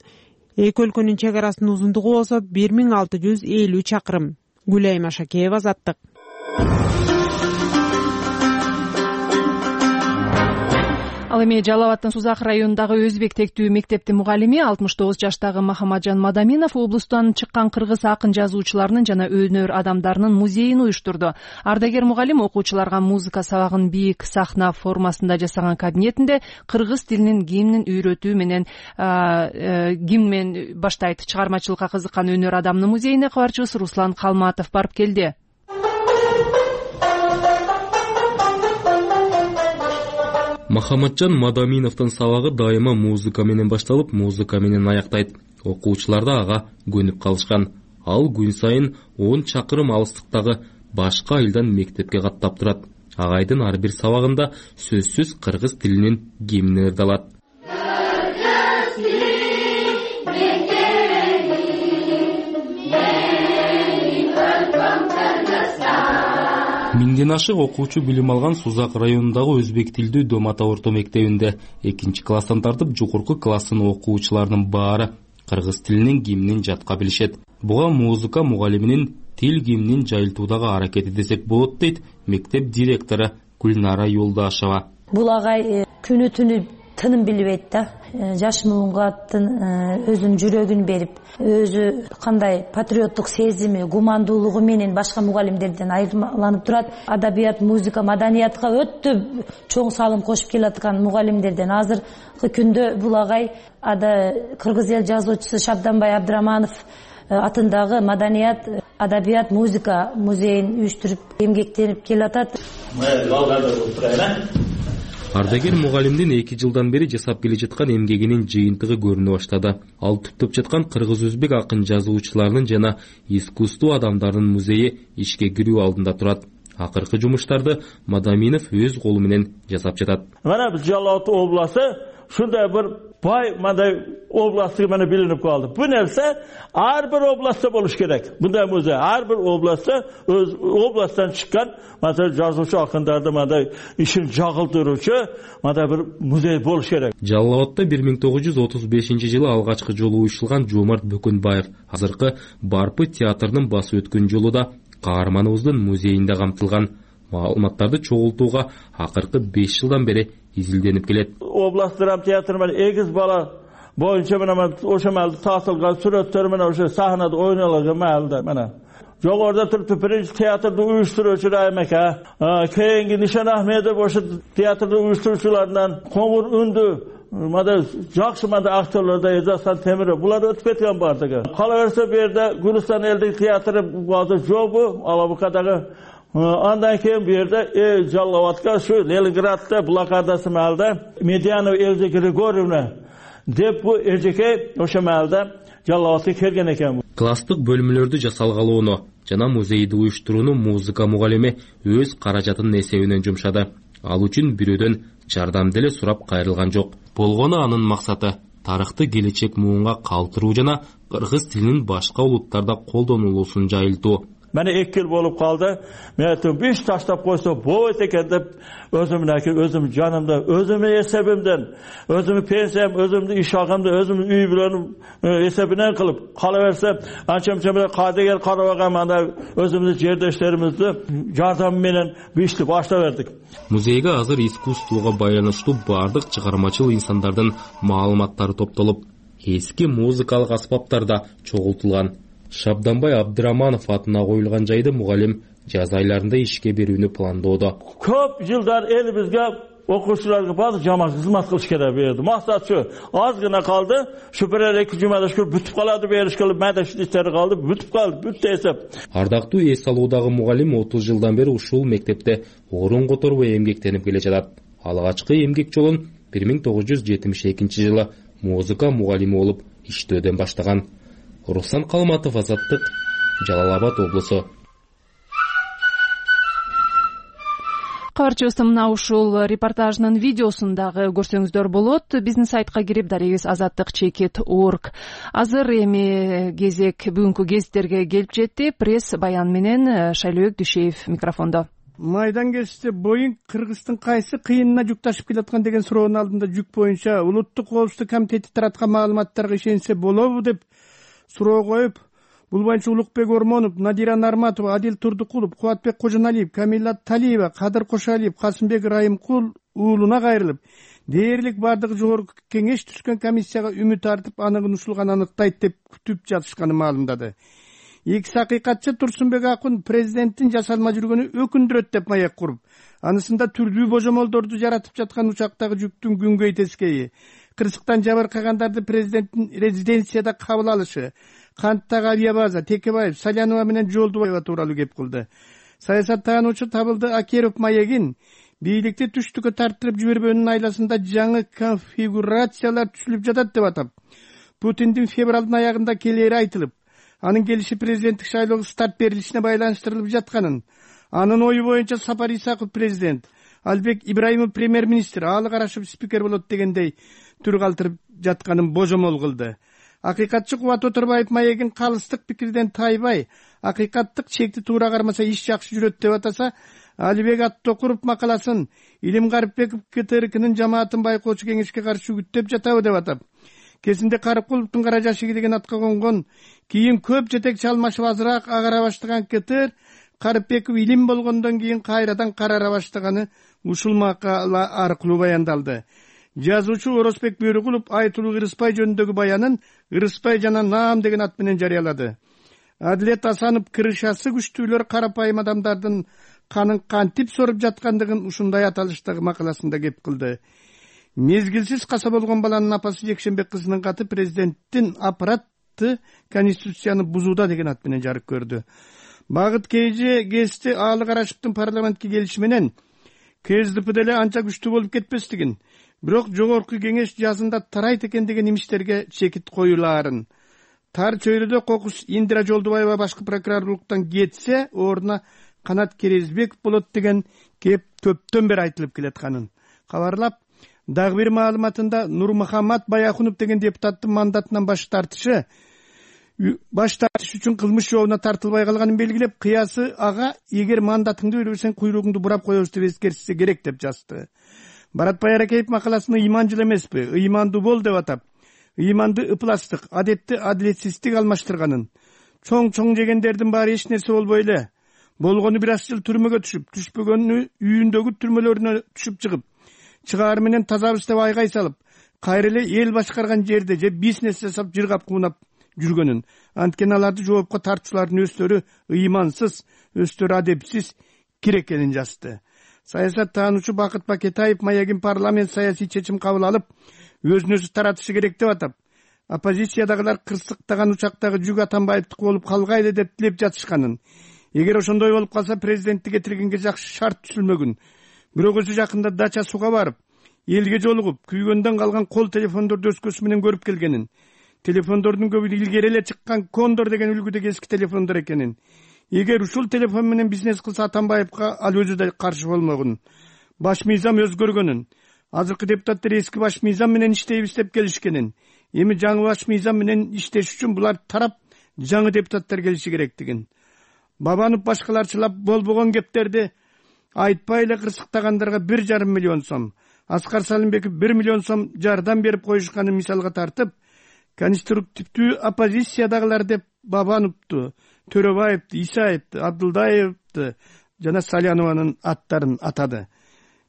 Эки өлкөнүн чек арасынын узундугу болсо 1650 чакырым. Гүлайым Ашакеева, Азаттык. Ал эми Жалал Абадтын Сузак районундагы өзбек тектүү мектептин мугалими 69 жаштагы Махамаджан Мадаминов облустан чыккан кыргыз акын жазуучуларынын жана өнөр адамдарынын музейин уюштурду. Ардагер мугалим окуучуларга музыка сабагын бийик сахна формасында жасаган кабинетинде кыргыз тилинин гимнин үйрөтүү менен гимн баштайт. Чыгармачылыкка кызыккан өнөр адамынын музейине кабарчыбыз Руслан Калматов барып келди. Махамаджан Мадаминовдун сабагы дайыма музыка менен башталып, музыка менен аяктайт. Окуучулар да ага көнүп калышкан. Ал күн сайын 10 чакырым алыстыктагы башка айылдан мектепке каттап турат. Агайдын ар бир сабагында сөзсүз кыргыз тилинин гимни ырдалат. Миңден ашык окуучу билим алган Сузак районундагы өзбек тилдүү Дом ата орто мектебинде 2-класстан тартып жогорку класстын окуучуларынын баары кыргыз тилинин гимнин жатка билишет. Буга музыка мугалиминин тил гимнин жайылтуудагы аракети десек болот дейт мектеп директору Гүлнара Юлдашева. Бул агай күнү түнү тыным билбейт да. Жаш муунга өзүнүн жүрөгүн берип, өзү кандай патриоттук сезими, гумандуулугу менен башка мугалимдерден айырмаланып турат. Адабият, музыка, маданиятка өтө чоң салым кошуп келаткан мугалимдерден. Азыркы күндө бул агай кыргыз эл жазуучусу Шабданбай Абдыраманов атындагы маданият, адабият, музыка музейин уюштуруп эмгектенип келатат. Ардагер мугалимдин 2 жылдан бери жасап келе жаткан эмгегинин жыйынтыгы көрүнө баштады. Ал түптөп жаткан кыргыз-өзбек акын жазуучуларынын жана искусство адамдарынын музейи ишке кирүү алдында турат. Акыркы жумуштарды Мадаминов өз колу менен жасап жатат. Мына биз Жалал Абад областы шундай бир бай мындай областы мына билинип калды. Бу нерсе ар бир областта болуш керек. Мындай музей ар бир областта өз областтан чыккан мындай жазуучу акындарды мындай ишин жагылдыруучу мындай бир музей болуш керек. Жалал Абадта 1935-жылы алгачкы жолу уюштурулган Жомарт Бөкөнбаев азыркы Барпы театрынын басы өткөн жолу да каарманыбыздын музейинде камтылган. Маалыматтарды чогултууга акыркы 5 жылдан бери изилденип келет. Област драма театры менен 2 бала боюнча мына ошо маалда тартылган сүрөттөр менен ошо сахнада ойнолгон маалда мына. Жогоруда туруп биринчи театрды уюштуруучу Райым ака, кийинки Нишан Ахмедов ошо театрды уюштуруучуларынан коңур үндү мада жакшы мада актерлордо Эжасан Темиров булар өтүп кеткен бардыгы. Кала берсе бу жерде Гүлстан элдик театры базы жобу Алабукадагы. Андан кийин бу жерде Жалал Абадка şu Ленинградда блокадасы маалда Медянова Эльза Григорьевна деп бу эжеке ошо маалда Жалал Абадка келген экен. Класстык бөлмөлөрдү жасалгалоону жана музейди уюштурууну музыка мугалими өз каражатынын эсебинен жумшады. Ал үчүн бирөөдөн жардам деле сурап кайрылган жок. Болгону анын максаты тарыхты келечек муунга калтыруу жана кыргыз тилинин башка улуттарда колдонулуусун жайылтуу. Mene 2 yıl bolup kaldı. Meğetim bir taştap koysa boğut eken de özüm canımda, özümün esebimden, özümün pensiyem, özümün iş hakkımda, özümün üy bilenim esebinden kılıp kalıversem, ançamçamda kadeger karavağamanda özümüzün yerdeşlerimizde yardımıyla bir işli başlaverdik. Muzeyge hazır iskustluğa baylanışlı bardık çıkarmacıl insanlardan malumatları toplalıp, eski muzikалық аспаптарда çoğultulgan. Шабданбай Абдыраманов атына коюлган жайды мугалим жаз айларында ишке берүүнү пландоодо. Көп жылдар элибизге окуучуларга баардык жаман кызмат кылыш керек берди. Максат şu, az gına kaldı. Şu bir 2 cumada şu бүтүп калады бериш кылып, майда иштери калды, бүтүп калды, бүттү эсеп. Ардактуу эс алуудагы мугалим 30 жылдан бери ушул мектепте орун которбой эмгектенип келе жатат. Алгачкы эмгек жолун 1972-жылы музыка мугалими болуп иштөөдөн баштаган. Руслан Калматов, Азаттык, Жалал-Абад облусу. Кабарчыбыз мына ушул репортаждын видеосун дагы көрсөңүздөр болот. Биздин сайтка кирип дарегиз azattik.org. Азыр эми кезек бүгүнкү гезиттерге келип жетти. Пресс баян менен Шайлообек Дүйшеев микрофондо. Майдан кезиште Боинг Кыргыздын кайсы кыйынына жүк ташып келаткан деген суроонун алдында жүк боюнча Улуттук коопсуздук комитети тараткан маалыматтарга ишенсе болобу деп суроо коюп, бул боюнча Улукбек Ормонов, Надира Нарматова, Адил Турдукулов, Кубатбек Кожоналиев, Камила Талиева, Кадыр Кошалиев, Касымбек Райымкул уулуна кайрылып, дээрлик бардыгы жогорку кеңеш түшкөн комиссияга үмүт артып, аныгын ушулган аныктайт деп күтүп жатышканын маалымдады. Экс акыйкатчы Турсунбек Акун президенттин жасалма жүргөнү өкүндүрөт деп маек куруп, анысында түрдүү божомолдорду жаратып жаткан учактагы жүктүн күнгөй тескейи, кырсыктан жабыркагандарды президенттин резиденцияда кабыл алышы, Канттагы авиабаза, Текебаев, Салянова менен Жолдубаева тууралуу кеп кылды. Саясаттануучу Табылды Акеров маегин бийликти түштүккө тарттырып жибербөөнүн айласында жаңы конфигурациялар түзүлүп жатат деп атап, Путиндин февралдын аягында келери айтылып, анын келиши президенттик шайлоого старт берилишине байланыштырылып жатканын, анын ою боюнча Сапар Исаков президент, Албек Ибраимов премьер-министр, Аалы Карашев спикер болот дегендей түр калтырып жатканын божомол кылды. Акыйкатчы Кубат Отурбаев маегин калыстык пикирден тайбай, акыйкаттык чекти туура кармаса иш жакшы жүрөт деп атаса, Алибек Аттокуров макаласын Илим Карипбеков КТРКнын жамаатын байкоочу кеңешке каршы үгүттөп жатабы деп атап, кезинде Карыкуловдун кара жашыгы деген атка конгон, кийин көп жетекчи алмашып азыраак агара баштаган КТР Карипбеков илим болгондон кийин кайрадан карара баштаганы ушул макала аркылуу баяндалды. Жазуучу Оросбек Бөрүкулов Айтулуу Ырыспай жөнүндөгү баянын Ырыспай жана Наам деген ат менен жарыялады. Адилет Асанов кырышасы күчтүүлөр карапайым адамдардын канын кантип соруп жаткандыгын ушундай аталыштагы макаласында кеп кылды. Мезгилсиз каса болгон баланын апасы Жекшенбек кызынын каты президенттин аппараты конституцияны бузууда деген ат менен жарык көрдү. Багыт Кейже гезити Аалы Карашевдин парламентке келиши менен КСДП деле анча күчтүү болуп кетпестигин, бирок жогорку кеңеш жазында тарайт экен деген имичтерге чекит коюлаарын. Тар чөйрөдө кокус Индира Жолдубаева башкы прокурорлуктан кетсе, ордуна Канат Керезбеков болот деген кеп көптөн бери айтылып келатканын кабарлап, дагы бир маалыматында Нурмухаммад Баяхунов деген депутаттын мандатынан баш тартышы үчүн кылмыш жообуна тартылбай калганын белгилеп, кыясы ага эгер мандатыңды бербесең куйругуңду бурап коебуз деп эскертсе керек деп жазды. Баратбай Аракеев макаласыны ыйманчыл эмеспи, ыймандуу бол деп атап, ыйманды ыпластык, адетти адилетсиздик алмаштырганын, чоң жегендердин баары эч нерсе болбой эле, болгону бир аз жыл түрмөгө түшүп, түшпөгөнү үйүндөгү түрмөлөрүнө түшүп чыгып, чыгаар менен тазабыз деп айгай салып, кайра эле эл башкарган жерде же бизнес жасап жыргап куунап жүргөнүн, анткени аларды жоопко тартуучулардын өздөрү ыймансыз, өздөрү адепсиз кир экенин жазды. Саясаттануучу Бакыт Бакетаев маягин парламент саясий чечим кабыл алып, өзүн өзү таратышы керек деп атап, оппозициядагылар кырсыктаган учактагы жүк Атамбаевдики болуп калгайлы деп тилеп жатышканын, эгер ошондой болуп калса президенттик этиргенге жакшы шарт түзүлмөгүн, бирок өзү жакында дача сууга барып, элге жолугуп, күйгөндөн калган кол телефондорду өскөсү менен көрүп келгенин, телефондордун көбү илгери эле чыккан Кондор деген үлгүдөгү эски телефондор экенин, эгер ушул телефон менен бизнес кылса Атамбаевка ал өзү да каршы болмогун, баш мыйзам өзгөргөнүн, азыркы депутаттар эски баш мыйзам менен иштейбиз деп келишкенин, эми жаңы баш мыйзам менен иштеш үчүн булар тарап жаңы депутаттар келиши керектигин, Бабанов башкаларчылап болбогон кептерди айтпай эле кырсыктагандарга 1,5 миллион сом, Аскар Салимбеков 1 миллион сом жардам берип коюшканын мисалга тартып, конструктивдүү оппозициядагылар деп Бабановду, Төрөбаевди, Исаевди, Абдулдаевди жана Салянованын аттарын атады.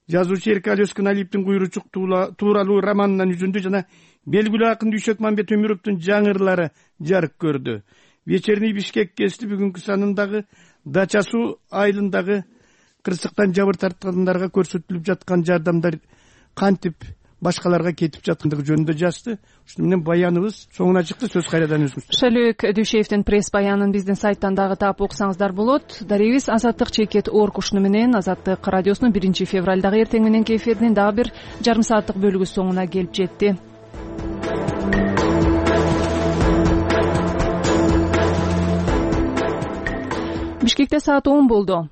Жазуучу Эркали Өскүналиевдин Куйручук тууралуу романынан үзүндү жана белгилүү акын Дүйшөк Мамбет Өмүровдун жаңырлары жарык көрдү. Вечерний Бишкек гезити бүгүнкү санындагы Дача суу айылындагы кырсыктан жабыр тарткандарга көрсөтүлүп жаткан жардамдар кантип башкаларга кетип жаткандыгы жөнүндө жазды. Ушуну менен баяныбыз соңуна чыкты. Сөз кайрадан өзүңүздө. Шөлөк Дүйшеевдин пресс баянын биздин сайттан дагы таап окусаңыздар болот. Дарегибиз Азаттык чекет орг ушуну менен Азаттык радиосунун 1 февралдагы эртең мененки эфиринин дагы бир жарым сааттык бөлүгү соңуна келип жетти. Бишкекте саат 10 болду.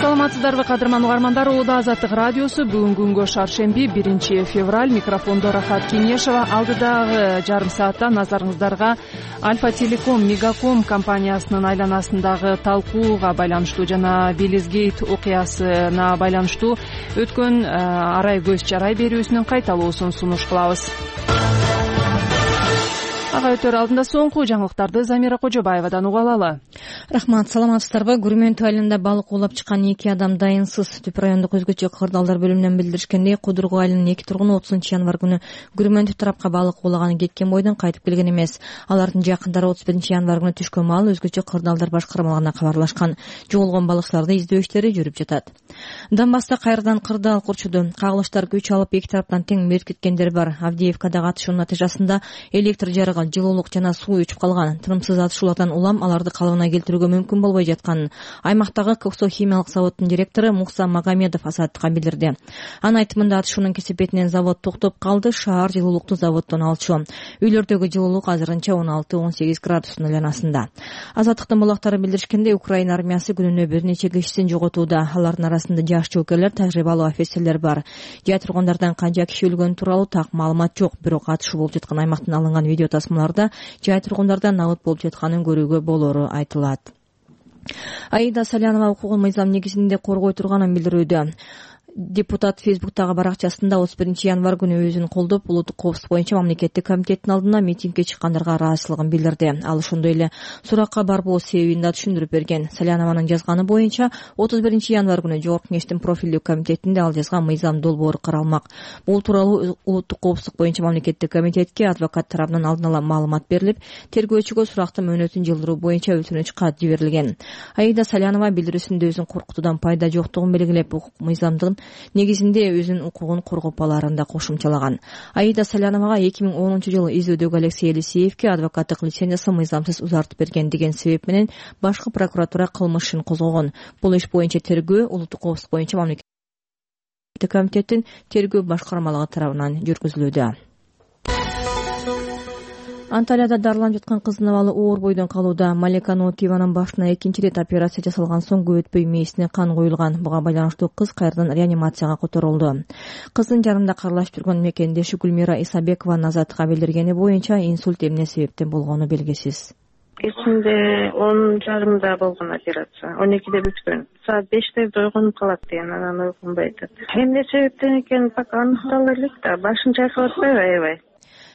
Саламатсыздарбы кадырман угармандар, Ооба Азаттык радиосу бүгүнкү күнгө шаршемби 1 февраль. Микрофондо Рахат Кенешева. Алдыдагы жарым саатта назарыңыздарга Альфа Телеком Мегаком компаниясынын айланасындагы талкууга байланыштуу жана Белизгейт окуясына байланыштуу өткөн арай көз чарай берүүсүнүн кайталоосун сунуш кылабыз. Ага өтөр алдында соңку жаңылыктарды Замира Кожобаевадан уга алалы. Рахмат, саламатсыздарбы? Күрмөнтү айылында балык улап чыккан 2 адам дайынсыз. Түп райондук өзгөчө кырдаалдар бөлүмүнөн билдиришкендей, Кудургу айылынын 2 тургуну 30 январь күнү Күрмөнтү тарапка балык улаганы кеткен бойдон кайтып келген эмес. Алардын жакындары 31 январь күнү түшкөн маал өзгөчө кырдаалдар башкармалыгына кабарлашкан. Жоголгон балыкчыларды издөө иштери жүрүп жатат. Донбасста кайрадан кырдаал курчуду. Кагылыштар күч алып эки тараптан тең меркиткендер бар. Авдеевкадагы атышуунун натыйжасында электр жарыгы, жылуулук жана суу өчүп калган. Тынымсыз атышуулардан улам аларды калыбына келтирүүгө мүмкүн болбой жатканын аймактагы Коксо химиялык заводдун директору Мукса Магомедов Азаттыкка билдирди. Анын айтымында атышуунун кесепетинен завод токтоп калды. Шаар жылуулукту заводдон алчу. Үйлөрдөгү жылуулук азырынча 16-18 градустун айланасында. Азаттыктын булактары билдиришкендей, Украина армиясы күнүнө бир нече кишисин жоготууда. Алардын арасында жаш жоокерлер, тажрыйбалуу офицерлер бар. Жай тургундардан канча киши өлгөнү тууралуу так маалымат жок. Бирок атышуу болуп жаткан аймактан алынган видео тасмаларда жай тургундардан набыт болуп жатканын көрүүгө болору айтылат. Аида Салянова укугун мыйзам негизинде коргой турганын билдирүүдө. Депутат Фейсбуктагы баракчасында 31 январь күнү өзүн колдоп, улуттук коопсуздук боюнча мамлекеттик комитеттин алдына митингге чыккандарга ыраазычылыгын билдирди. Ал ошондой эле суракка барбоо себебин да түшүндүрүп берген. Салянованын жазганы боюнча 31 январь күнү Жогорку Кеңештин профилдүү комитетинде ал жазган мыйзам долбоору каралмак. Бул тууралуу улуттук коопсуздук боюнча мамлекеттик комитетке адвокат тарабынан алдын ала маалымат берилип, тергөөчүгө сурактын мөөнөтүн жылдыруу боюнча өтүнүч кат жиберилген. Аида Салянова билдирүүсүндө өзүн коркутуудан пайда жоктугун белгилеп, мыйзамдын негизинде өзүнүн укугун коргоп аларын да кошумчалаган. Аида Саляновага 2010-жылы изөөдөгү Алексей Елисеевке адвокаттык лицензиясы мыйзамсыз узартып берген деген себеп менен башкы прокуратура кылмыш ишин козгогон. Бул иш боюнча тергөө улуттук коопсуздук боюнча мамлекеттик комитеттин тергөө башкармалыгы тарабынан жүргүзүлүүдө. Анталияда дарыланып жаткан кыздын абалы оор бойдон калууда. Малика Нотиеванын башына экинчи рет операция жасалган соң көп өтпөй мээсине кан куюлган. Буга байланыштуу кыз кайрадан реанимацияга которулду. Кыздын жанында каралашып жүргөн мекендеши Гүлмира Исабекованын Азаттыкка билдиргени боюнча инсульт эмне себептен болгону белгисиз. Кечинде 10:30 болгон операция. 12-де бүткөн. Саат 5-те ойгонуп калат деген, анан ойгонбой атат. Эмне себептен экени пока аныктала элек да, башын чайкап атпайбы аябай.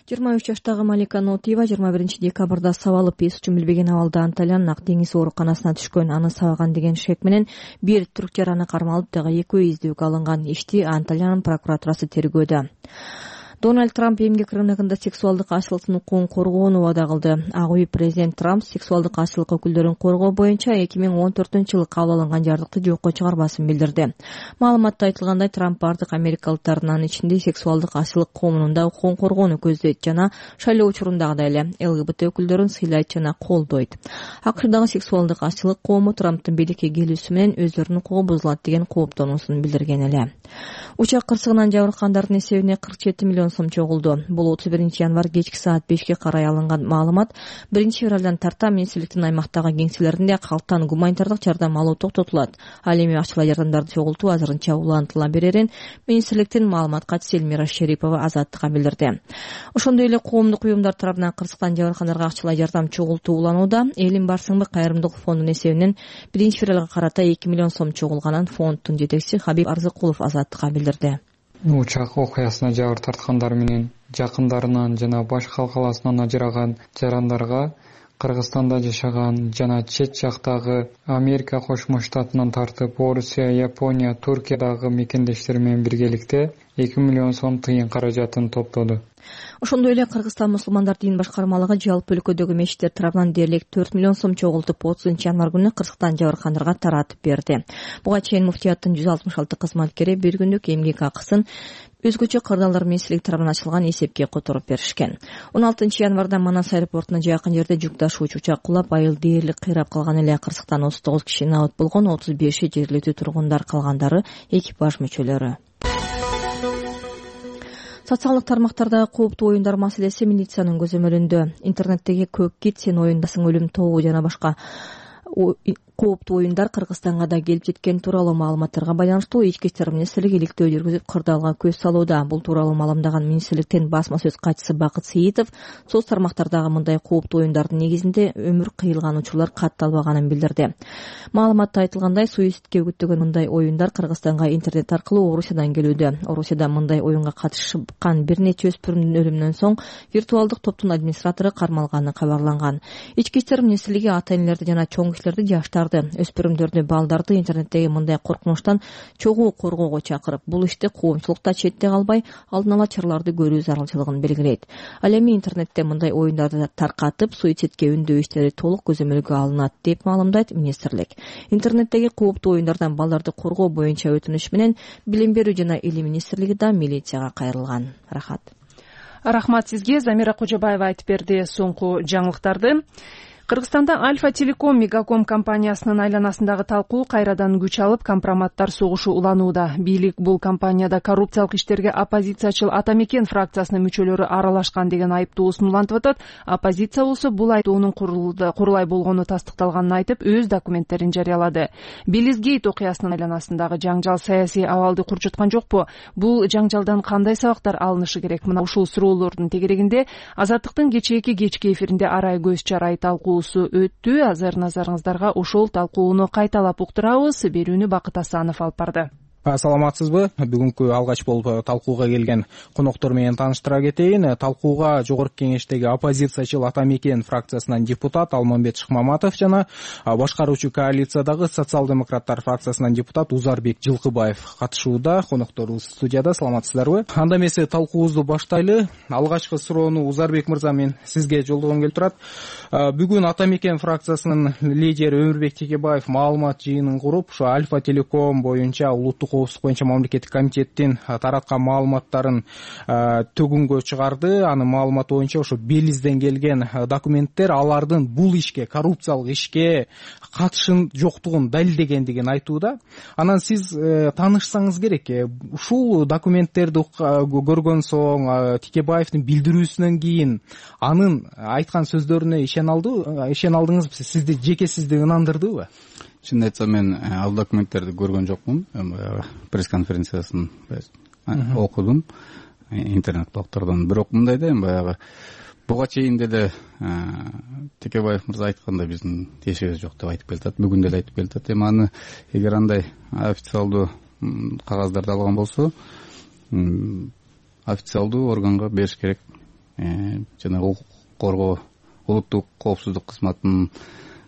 23 жаштагы Малика Нотиева 21 декабрда сабалып эс үчүн билбеген абалда Анталиянын Ак деңиз ооруканасына түшкөн. Аны сабаган деген шек менен бир түрк жараны кармалып, дагы экөө издөөгө алынган. Ишти Анталиянын прокуратурасы тергөөдө. Дональд Трамп эмгек рыногунда сексуалдык ачылыктын укугун коргоону убада кылды. Ак үй президент Трамп сексуалдык ачылык өкүлдөрүн коргоо боюнча 2014-жылы кабыл алынган жардыкты жокко чыгарбасын билдирди. Маалыматта айтылгандай, Трамп бардык америкалыктардын анын ичинде сексуалдык ачылык коомунун да укугун коргоону көздөйт жана шайлоо учурундагыдай эле ЛГБТ өкүлдөрүн сыйлайт жана колдойт. АКШдагы сексуалдык ачылык коому Трамптын бийликке келүүсү менен өздөрүнүн укугу бузулат деген кооптонуусун билдирген эле. Учак кырсыгынан жабыркандардын эсебине 47 миллион сом чогулду. Бул 31 январь кечки саат 5-ке карай алынган маалымат. 1 февралдан тарта министрликтин аймактагы кеңселеринде калктан гуманитардык жардам алуу токтотулат. Ал эми акчалай жардамдарды чогултуу азырынча улантыла берерин министрликтин маалымат катчысы Эльмира Шерипова Азаттыкка билдирди. Ошондой эле коомдук уюмдар тарабынан кырсыктан жабыркандарга акчалай жардам чогултуу уланууда. Элим барсыңбы кайрымдуулук фондунун эсебинен 1 февралга карата 2 миллион сом чогулганын фонддун жетекчиси Хабиб Арзыкулов Азаттыкка билдирди. Учак окуясына жабыр тарткандар менен жакындарынан жана башка калкаласынан ажыраган жарандарга Кыргызстанда жашаган жана чет жактагы Америка Кошмо Штатынан тартып Орусия, Япония, Туркиядагы мекендештер менен биргеликте 2 миллион сом тыйын каражатын топтоду. Ошондой эле Кыргызстан мусулмандар дин башкармалыгы жалпы өлкөдөгү мечиттер тарабынан дээрлик 4 миллион сом чогултуп 30-январь күнү Кыргызстан жабыркандарга таратып берди. Буга чейин муфтияттын 166 кызматкери бир күндүк эмгек акысын өзгөчө кырдаалдар министрлиги тарабынан ачылган эсепке которуп беришкен. 16-январда Манас аэропортуна жакын жерде жүк ташуучу учак кулап, айыл дээрлик кыйрап калган эле. Кыргызстан 39 киши набыт болгон, 35 жергиликтүү тургундар, калгандары экипаж мүчөлөрү. Социалдык тармактардагы кооптуу оюндар маселеси милициянын көзөмөлүндө. Интернеттеги көк кит, сен оюндасың, өлүм тобу жана башка кооптуу оюндар Кыргызстанга да келип жеткен тууралуу маалыматтарга байланыштуу ички иштер министрлиги иликтөө жүргүзүп кырдаалга көз салууда. Бул тууралуу маалымдаган министрликтин басма сөз катчысы Бакыт Сейитов соц тармактардагы мындай кооптуу оюндардын негизинде өмүр кыйылган учурлар катталбаганын билдирди. Маалыматта айтылгандай, суицидке үгүттөгөн мындай оюндар Кыргызстанга интернет аркылуу Орусиядан келүүдө. Орусияда мындай оюнга катышкан бир нече өспүрүмдүн өлүмүнөн соң виртуалдык топтун администратору кармалганы кабарланган. Ички иштер министрлиги ата-энелерди жана чоң кишилерди, жаштарды, өспүрүмдөрдү, балдарды интернеттеги мындай коркунучтан чогуу коргоого чакырып, бул иште коомчулукта четте калбай алдын ала чараларды көрүү зарылчылыгын белгилейт. Ал эми интернетте мындай оюндарды таркатып, суицидке үндөө иштери толук көзөмөлгө алынат деп маалымдайт министрлик. Интернеттеги кооптуу оюндардан балдарды коргоо боюнча өтүнүш менен Билим берүү жана Илим министрлиги да милицияга кайрылган. Рахмат сизге. Замира Кожобаева айтып берди соңку жаңылыктарды. Кыргызстанда Альфа Телеком Мегаком компаниясынын айланасындагы талкуу кайрадан күч алып, компроматтар согушу уланууда. Бийлик бул компанияда коррупциялык иштерге оппозициячыл Атамекен фракциясынын мүчөлөрү аралашкан деген айыптоосун улантып атат. Оппозиция болсо бул айыптоонун курулай болгону тастыкталганын айтып, өз документтерин жарыялады. Белизгейт окуясынын айланасындагы жаңжал саясий абалды курчуткан жокпу? Бул жаңжалдан кандай сабактар алынышы керек? Мына ушул суроолордун тегерегинде Азаттыктын кечки эфиринде арай көз чарай талкуу өттү. Азыр назарыңыздарга ошол талкууну кайталап уктурабыз. Берүүнү Бакыт Асанов алып барды. Саламатсызбы? Бүгүнкү алгач болуп талкууга келген коноктор менен тааныштыра кетейин. Талкууга Жогорку Кеңештеги оппозициячыл Атамекен фракциясынан депутат Алмамбет Шыкмаматов жана башкаруучу коалициядагы социал-демократтар фракциясынан депутат Узарбек Жылкыбаев катышууда. Конокторубуз студияда. Саламатсыздарбы? Анда эмесе талкуубузду баштайлы. Алгачкы суроону Узарбек мырза, мен сизге жолдогом келип турат. Бүгүн Атамекен фракциясынын лидери Өмүрбек Текебаев маалымат жыйынын куруп, ушу Альфа Телеком боюнча улуттук коопсуздук боюнча мамлекеттик комитеттин тараткан маалыматтарын төгүнгө чыгарды. Анын маалыматы боюнча ошо Белизден келген документтер алардын бул ишке, коррупциялык ишке катышын жоктугун далилдегендигин айтууда. Анан сиз таанышсаңыз керек, ушул документтерди көргөн соң, Текебаевдин билдирүүсүнөн кийин анын айткан сөздөрүнө ишене алдыңызбы? Сизди жеке сизди ынандырдыбы? Чын айтсам, мен ал документтерди көргөн жокмун. Пресс-конференциясын окудум интернет блогтордон. Бирок мындай да, баягы буга чейин деле Текебаев мырза айткандай биздин тиешебиз жок деп айтып келатат. Бүгүн деле айтып келатат. Эми аны эгер андай официалдуу кагаздарды алган болсо, официалдуу органга бериш керек. Жана укук коргоо улуттук коопсуздук кызматынын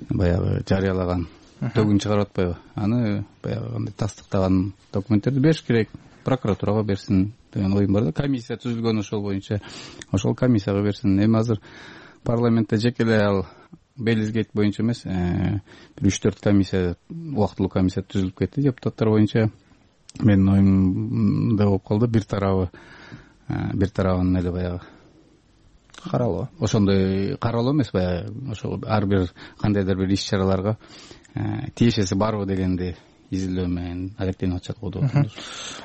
баягы жарыялаган төгүн чыгарып атпайбы? Аны баягы кандай тастыктаган документтерди бериш керек, прокуратурага берсин деген оюм бар да. Комиссия түзүлгөн ошол боюнча, ошол комиссияга берсин. Эми азыр парламентте жеке эле ал Белизгейт боюнча эмес, бир 3-4 комиссия, убактылуу комиссия түзүлүп кетти депутаттар боюнча. Менин оюм да болуп калды, бир тарабын эле баягы каралоо. Ошондой каралоо эмес, баягы ошол ар бир кандайдыр бир иш-чараларга тиешеси барбы дегенди изилдөө менен алектенип атышат го деп атам.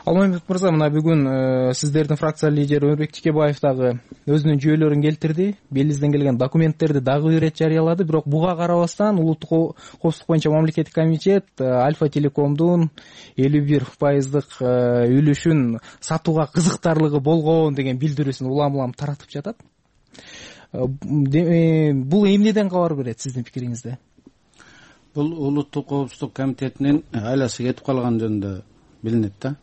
Алмамбет мырза, мына бүгүн сиздердин фракция лидери Өмүрбек Текебаев дагы өзүнүн жүйөлөрүн келтирди. Белизден келген документтерди дагы бир ирет жарыялады. Бирок буга карабастан улуттук коопсуздук боюнча мамлекеттик комитет Альфа Телекомдун 51% үлүшүн сатууга кызыктарлыгы болгон деген билдирүүсүн улам таратып жатат. Бул эмнеден кабар берет сиздин пикириңизде? Бул улуттук коопсуздук комитетинин айласы кетип калган жөнүндө билинет да.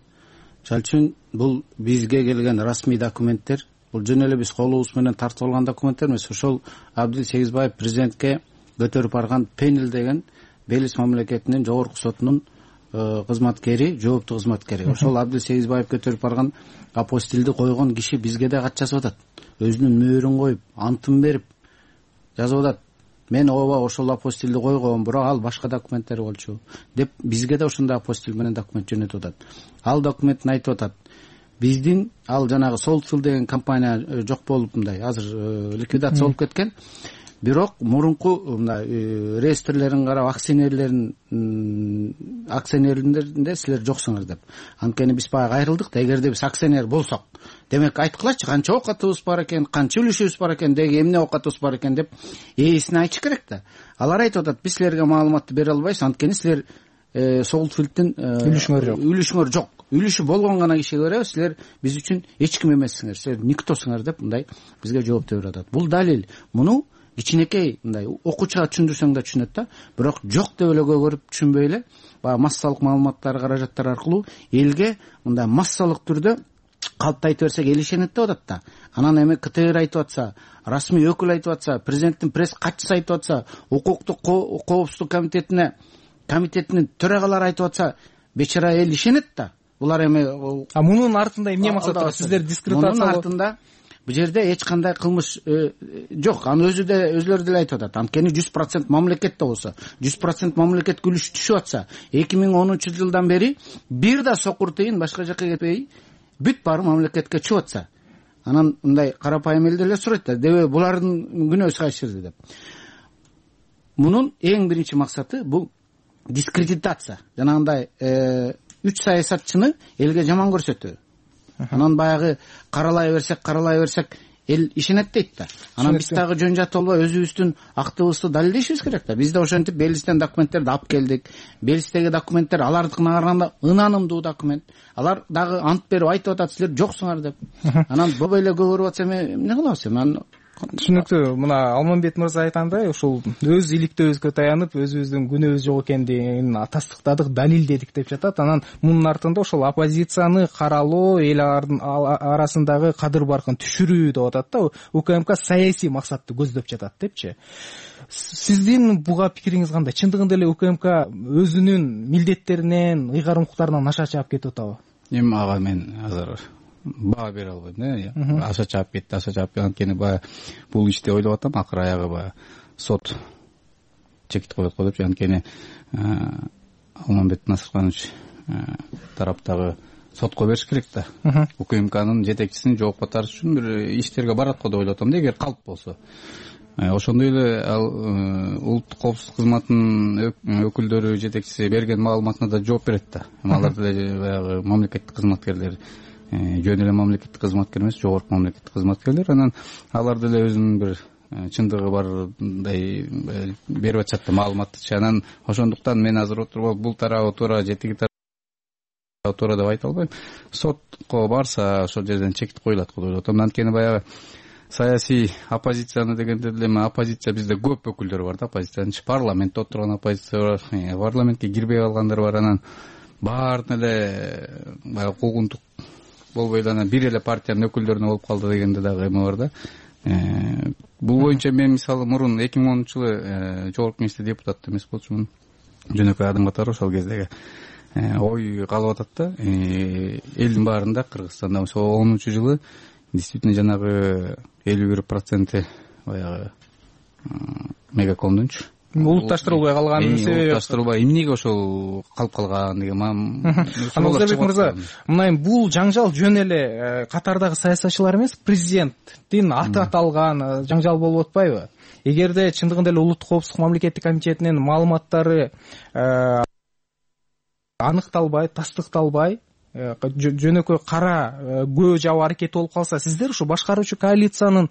Чал үчүн бул бизге келген расмий документтер бул жөн эле биз колубуз менен тартып алган документтер эмес. Ошол Абдил Сегизбаев президентке көтөрүп барган Пенил деген Белиз мамлекетинин жогорку сотунун кызматкери, жооптуу кызматкери. Ошол Абдил Сегизбаев көтөрүп барган апостилди койгон киши бизге да кат жазып атат. Өзүнүн мөөрүн коюп, антын берип жазып атат. Мен ооба ошол апостилди койгом, бирок ал башка документтер болчу деп бизге да ошондой апостил менен документ жөнөтүп атат. Ал документин айтып атат. Биздин ал жанагы Солтфилд деген компания жок болуп мындай азыр ликвидация болуп кеткен. Бирок мурунку мындай реестрлерин карап акционерлеринде силер жоксуңар деп. Анткени биз баягы айрылдык да, эгерде биз акционер болсок, демек айткылачы канча оокатыбыз бар экен, канча үлүшүбүз бар экен, деги эмне оокатыбыз бар экен деп ээсине айтыш керек да. Алар айтып атат, биз силерге маалыматты бере албайбыз, анткени силер Солтфилдтин үлүшүңөр жок. Үлүшү болгон гана кишиге беребиз, силер биз үчүн эч ким эмессиңер, силер никтосуңар деп мындай бизге жооп берип атат. Бул далил. Муну кичинекей мындай окуучуга түшүндүрсөң да түшүнөт да, бирок жок деп эле көрүп түшүнбөй эле баягы массалык маалыматтар, каражаттар аркылуу элге мындай массалык түрдө калпты айтып берсек эл ишенет деп атат да. Анан эми КТР айтып атса, расмий өкүл айтып атса, президенттин пресс катчысы айтып атса, укуктук коопсуздук комитетинин төрагалары айтып атса, бечара эл ишенет да. Булар эми мунун артында эмне максат бар? Сиздер дискредитациялоо. Мунун артында бул жерде эч кандай кылмыш жок. Аны өзүлөрү деле айтып атат. Анткени 100% мамлекетте болсо, 100% мамлекетке үлүш түшүп атса, 2010-жылдан бери бир да сокур тыйын башка жакка кетпей, бүт баары мамлекетке чыгып атса, анан мындай карапайым эл деле сурайт да, дебе булардын күнөөсү кайсы жерде деп. Мунун эң биринчи максаты бул дискредитация. Жанагындай 3 саясатчыны элге жаман көрсөтүү. Анан баягы каралай берсек эл ишенет дейт да. Анан биз дагы жөн жат болбой өзүбүздүн актыбызды далилдешибиз керек да. Биз да ошентип Белизден документтерди алып келдик. Белиздеги документтер алардыкына караганда ынанымдуу документ. Алар дагы ант берип айтып атат, силер жоксуңар деп. Анан бобо эле көрүп атса эмне кылабыз эми? Түшүнүктүү. Мына Алмамбет мырза айткандай, ошол өз иликтөөбүзгө таянып, өзүбүздүн күнөөбүз жок экендигин тастыктадык, далилдедик деп жатат. Анан мунун артында ошол оппозицияны каралоо, эл арасындагы кадыр баркын түшүрүү деп атат да. УКМК саясий максатты көздөп жатат депчи. Сиздин буга пикириңиз кандай? Чындыгында эле УКМК өзүнүн милдеттеринен, ыйгарым укуктарынан аша чаап кетип атабы? Эми ага мен азыр баа бере албайм да. Аша чаап кетти, анткени баягы бул ишти ойлоп атам, акыры аягы баягы сот чекит коет го депчи. Анткени Алмамбет Насырканович тараптагы сотко бериш керек да. УКМКнын жетекчисин жооп кайтарыш үчүн бир иштерге барат го деп ойлоп атам да, эгер калп болсо. Ошондой эле ал улуттук коопсуздук кызматынын өкүлдөрү, жетекчиси берген маалыматына да жооп берет да. Алар деле баягы мамлекеттик кызматкерлер, жөн эле мамлекеттик кызматкер эмес, жогорку мамлекеттик кызматкерлер. Анан алар деле өзүнүн бир чындыгы бардай берип атышат да маалыматтычы. Анан ошондуктан мен азыр отуруп бул тарабы туура, жетиги тарабы туура деп айта албайм. Сотко барса ошол жерден чекит коюлат го деп атам. Анткени баягы саясий оппозицияны дегенде деле оппозиция бизде көп өкүлдөр бар да, оппозициянын парламентте отурган оппозиция бар, парламентке кирбей калгандар бар. Анан баарын эле баягы куугунтук болбой эле анан бир эле партиянын өкүлдөрүнө болуп калды дегенде дагы эме бар да. Бул боюнча мен мисалы мурун 2010-жылы жогорку кеңеште депутат эмес болчумун. Жөнөкөй адам катары ошол кездеги ой калып атат да. Элдин баарында Кыргызстанда ошол 10-жылы действительно жанагы 51% баягы мегакомдунчу улутташтырылбай калганын себеби. Улутташтырылбай эмнеге ошол калып калган деген Аназарбек мырза, мына бул жаңжал жөн эле катардагы саясатчылар эмес, президенттин аты аталган жаңжал болуп атпайбы? Эгерде чындыгында эле улуттук коопсуздук мамлекеттик комитетинин маалыматтары аныкталбай, тастыкталбай, жөнөкөй кара көө жабуу аракети болуп калса, сиздер ушу башкаруучу коалициянын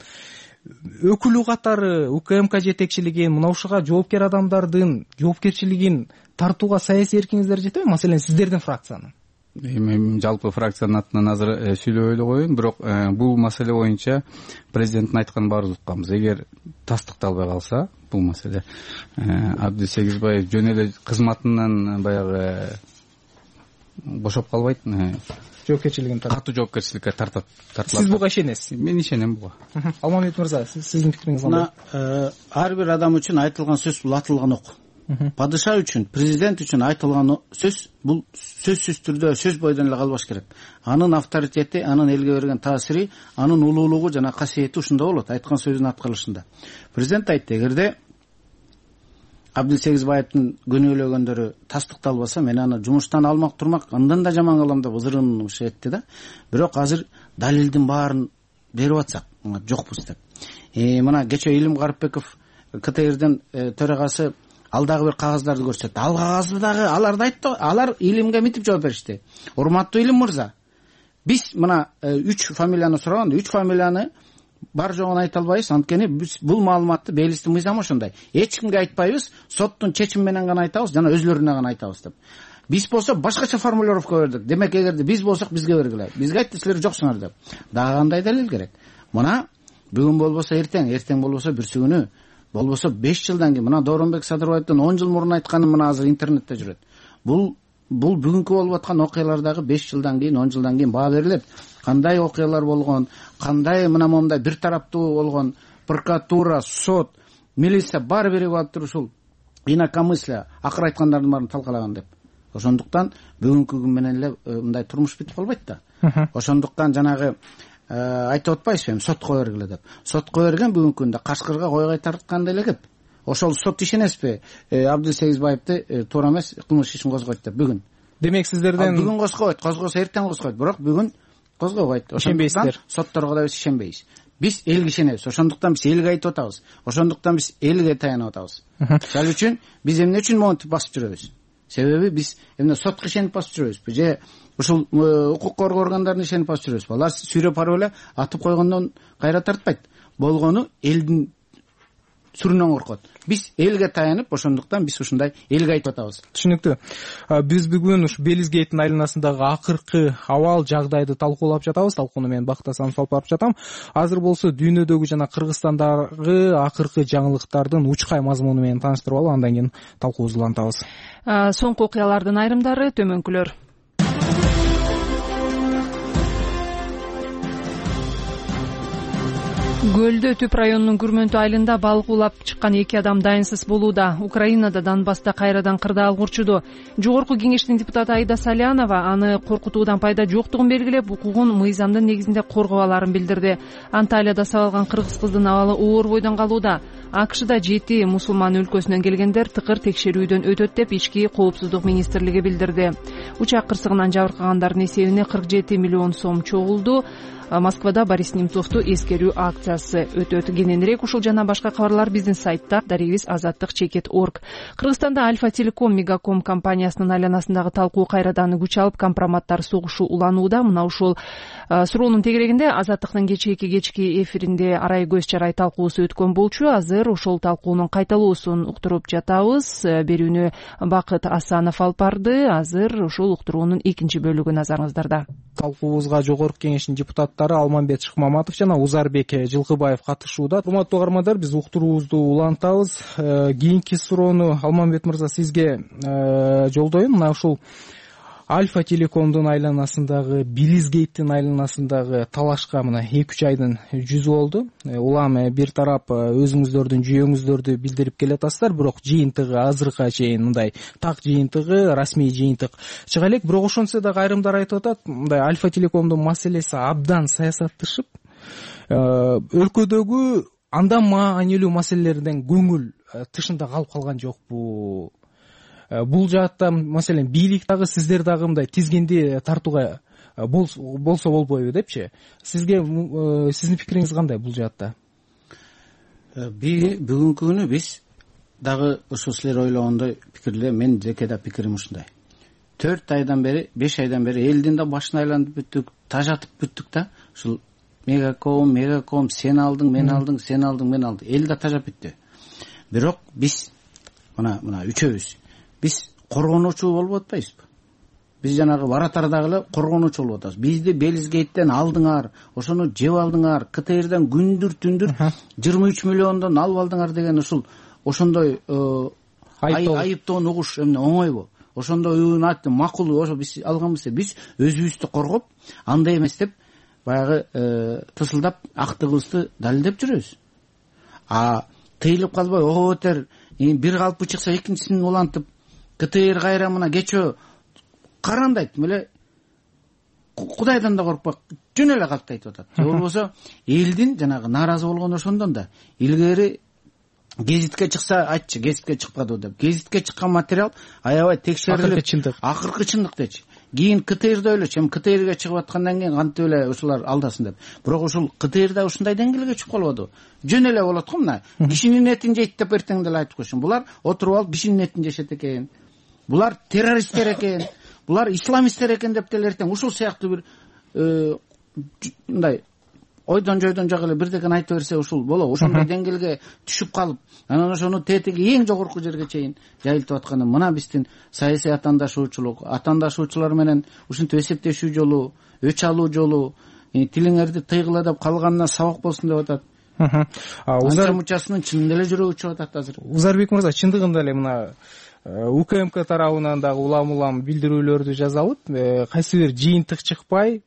өкүлү катары УКМК жетекчилигин, мына ушуга жоопкер адамдардын жоопкерчилигин тартууга саясий эркиңиздер жетеби? Маселен, сиздердин фракциянын. Эми жалпы фракциянын атынан азыр сүйлөбөй эле коеюн, бирок бул маселе боюнча президенттин айтканын баарыбыз укканбыз. Эгер тастыкталбай калса бул маселе, Абдил Сегизбаев жөн эле кызматынан баягы бошоп калбайт. жоопкерчилигин катуу жоопкерчиликке тартылат. Сиз буга ишенесиз? Мен ишенем буга. Алмамбет мырза, сиздин пикириңиз кандай? Ар бир адам үчүн айтылган сөз бул атылган ок. Падыша үчүн, президент үчүн айтылган сөз бул сөзсүз түрдө сөз бойдон эле калбаш керек. Анын авторитети, анын элге берген таасири, анын улуулугу жана касиети ушунда болот, айткан сөзүн аткарылышында. Президент айтты, эгерде Абдилсегизбаевдин күнөөлөгөндөрү тастыкталбаса, мен аны жумуштан алмак турмак, андан да жаман кылам деп ызырынып этти да. Бирок азыр далилдин баарын берип атсак, жокпуз деп. Мына кече Илим Карыпбеков КТРдин төрагасы ал дагы бир кагаздарды көрсөттү. Ал кагазды дагы алар да айтты, алар Илимге мынтип жооп беришти. Урматтуу Илим мырза, биз мына 3 фамилияны сураганда 3 фамилияны бар жогун айта албайбыз, анткени биз бул маалыматты Белистин мыйзамы ошондой. Эч кимге айтпайбыз, соттун чечими менен гана айтабыз жана өзлөрүнө гана айтабыз деп. Биз болсо башкача формулировка бердик. Демек, эгерде биз болсок бизге бергиле. Бизге айтты, силер жоксуңар деп. Дагы кандай далил керек? Мына бүгүн болбосо эртең, эртең болбосо бүрсү күнү, болбосо 5 жылдан кийин, мына Дооронбек Садырбаевдин 10 жыл мурун айтканы мына азыр интернетте жүрөт. Бул бүгүнкү болуп аткан окуялардагы 5 жылдан кийин, 10 жылдан кийин баа берилет. Кандай окуялар болгон, кандай мына момундай бир тараптуу болгон, прокуратура, сот, милиция баары биригип алып туруп ушул инакомыслие, акыр айткандардын баарын талкалаган деп. Ошондуктан бүгүнкү күн менен эле мындай турмуш бүтүп калбайт да. Ошондуктан жанагы айтып атпайсызбы, эми сотко бергиле деп. Сотко берген бүгүнкү күндө Кашкырга кой кайтарткандай эле кеп. Ошол сот ишенесизби? Абдилсегизбаевди туура эмес кылмыш ишин козгойт деп бүгүн. Демек сиздерден бүгүн козгойт, козгосо эртең козгойт, бирок бүгүн козгобойт. Ишенбейсиздер. Сотторго да биз ишенбейбиз. Биз элге ишенебиз. Ошондуктан биз элге айтып атабыз. Ошондуктан биз элге таянып атабыз. Ал үчүн биз эмне үчүн монтип басып жүрөбүз? Себеби биз эмне сотко ишенип басып жүрөбүзбү же ушул укук коргоо органдарына ишенип басып жүрөбүзбү? Алар сүйрөп барып эле атып койгондон кайра тартпайт. Болгону элдин сүрүнөн коркот. Биз элге таянып, ошондуктан биз ушундай элге айтып атабыз. Түшүнүктүү. Биз бүгүн ушу Белизгейттин айланасындагы акыркы абал жагдайды талкуулап жатабыз. Талкууну мен Бактасан алып барып жатам. Азыр болсо дүйнөдөгү жана Кыргызстандагы акыркы жаңылыктардын учкай мазмуну менен тааныштырып алып, андан кийин талкуубузду улантабыз. Соңку окуялардын айрымдары төмөнкүлөр. Көлдө Түп районунун Күрмөнтү айылында балык улап чыккан 2 адам дайынсыз болууда. Украинада Донбасста кайрадан кырдаал урчуду. Жогорку кеңештин депутаты Айда Салянова аны коркутуудан пайда жоктугун белгилеп, укугун мыйзамдын негизинде коргобаларын билдирди. Анталияда сабалган кыргыз кыздын абалы оор бойдон калууда. АКШда 7 мусулман өлкөсүнөн келгендер тыкыр текшерүүдөн өтөт деп ички коопсуздук министрлиги билдирди. Учак кырсыгынан жабыркагандардын эсебине 47 миллион сом чогулду. Москвада Борис Немцовду эскерүү акциясы өтөт. Кененирээк ушул жана башка кабарлар биздин сайтта daribis.azаттык.org. Кыргызстанда Альфа Телеком Мегаком компаниясынын айланасындагы талкуу кайрадан күч алып, компроматтар согушу уланууда. Мына ушул суроонун тегерегинде Азаттыктын кечки эфиринде арай көз чарай талкуусу өткөн болчу. Азыр ошол талкуунун кайталоосун уктуруп жатабыз. Берүүнү Бакыт Асанов алып барды. Азыр ушул уктуруунун экинчи бөлүгү назарыңыздарда. Талкуубузга жогорку кеңештин депутаттары Алмамбет Шыкмаматов жана Узарбек Жылкыбаев катышууда. Урматтуу угармандар, биз уктуруубузду улантабыз. Кийинки суроону Алмамбет мырза сизге жолдоюн. Мына ушул Альфа Телекомдун айланасындагы, Белизгейттин айланасындагы талашка мына 2-3 айдын жүзү болду. Улам бир тарап өзүңүздөрдүн жүйөңүздөрдү билдирип келатасыздар, бирок жыйынтыгы азыркыга чейин мындай так жыйынтыгы, расмий жыйынтык чыга элек. Бирок ошончо да айрымдар айтып атат, мындай Альфа Телекомдун маселеси абдан саясатташып, өлкөдөгү андан маанилүү маселелерден көңүл тышында калып калган жокпу? Бул жаатта маселен бийлик дагы, сиздер дагы мындай тизгинди тартууга болсо болбойбу депчи. Сизге сиздин пикириңиз кандай бул жаатта? Бүгүнкү күнү биз дагы ошо силер ойлогондой пикирлер, мен жеке да пикирим ушундай. 4 айдан бери, 5 айдан бери элдин да башын айлантып бүттүк, тажатып бүттүк да. Ушул Мегаком, сен алдың, мен алдың, сен алдың, мен алдым. Эл да тажап бүттү. Бирок биз мына үчөөбүз биз коргонуучу болуп атпайбызбы? Биз жанагы баратардагы эле коргонуучу болуп атабыз. Бизди Белизгейттен алдыңар, ошону жеп алдыңар, КТРден күндүр түндүр 23 миллиондон алып алдыңар деген ошондой айыптоону угуш эмне оңойбу? ошондой уюнат макул ошо биз алганбыз деп биз өзүбүздү коргоп андай эмес деп баягы тысылдап актыгыбызды далилдеп жүрөбүз. Тыйылып калбай ого бетер бир калпы чыкса экинчисин улантып КТР кайра мына кечөө карандайт эле Кудайдан да коркпой жөн эле калкты айтып атат. Же болбосо элдин жанагы нааразы болгону ошондон да илгери гезитке чыкса айтчы гезитке чыкпады деп. Гезитке чыккан материал аябай текшерилип акыркы чындык дечи. Кийин КТРда ойлочу, КТРге чыгып аткандан кийин кантип эле ушулар алдасын деп. Бирок ушул КТРда ушундай деңгээлге чыгып калбады. Жөн эле болот го мына. Кишинин этин жейт деп эртең деле айтып койсун. Булар отуруп алып кишинин этин жешет экен. Булар террористтер экен. Булар исламисттер экен деп деле эртең ушул сыяктуу бир мындай ойдон жойдон жак эле бирдекени айтып берсе ушул болобу. Ошондой деңгээлге түшүп калып, анан ошону тетиги эң жогорку жерге чейин жайылтып атканы мына биздин саясий атаандашуучулар менен ушинтип эсептешүү жолу, өч алуу жолу, тилиңерди тыйгыла деп калганына сабак болсун деп атат. Узар мучасынын чынында эле жүрөгү чыгып атат азыр. Узарбек мырза, чындыгында эле мына УКМК тарабынан дагы улам билдирүүлөрдү жазалып, кайсы бир жыйынтык чыкпай,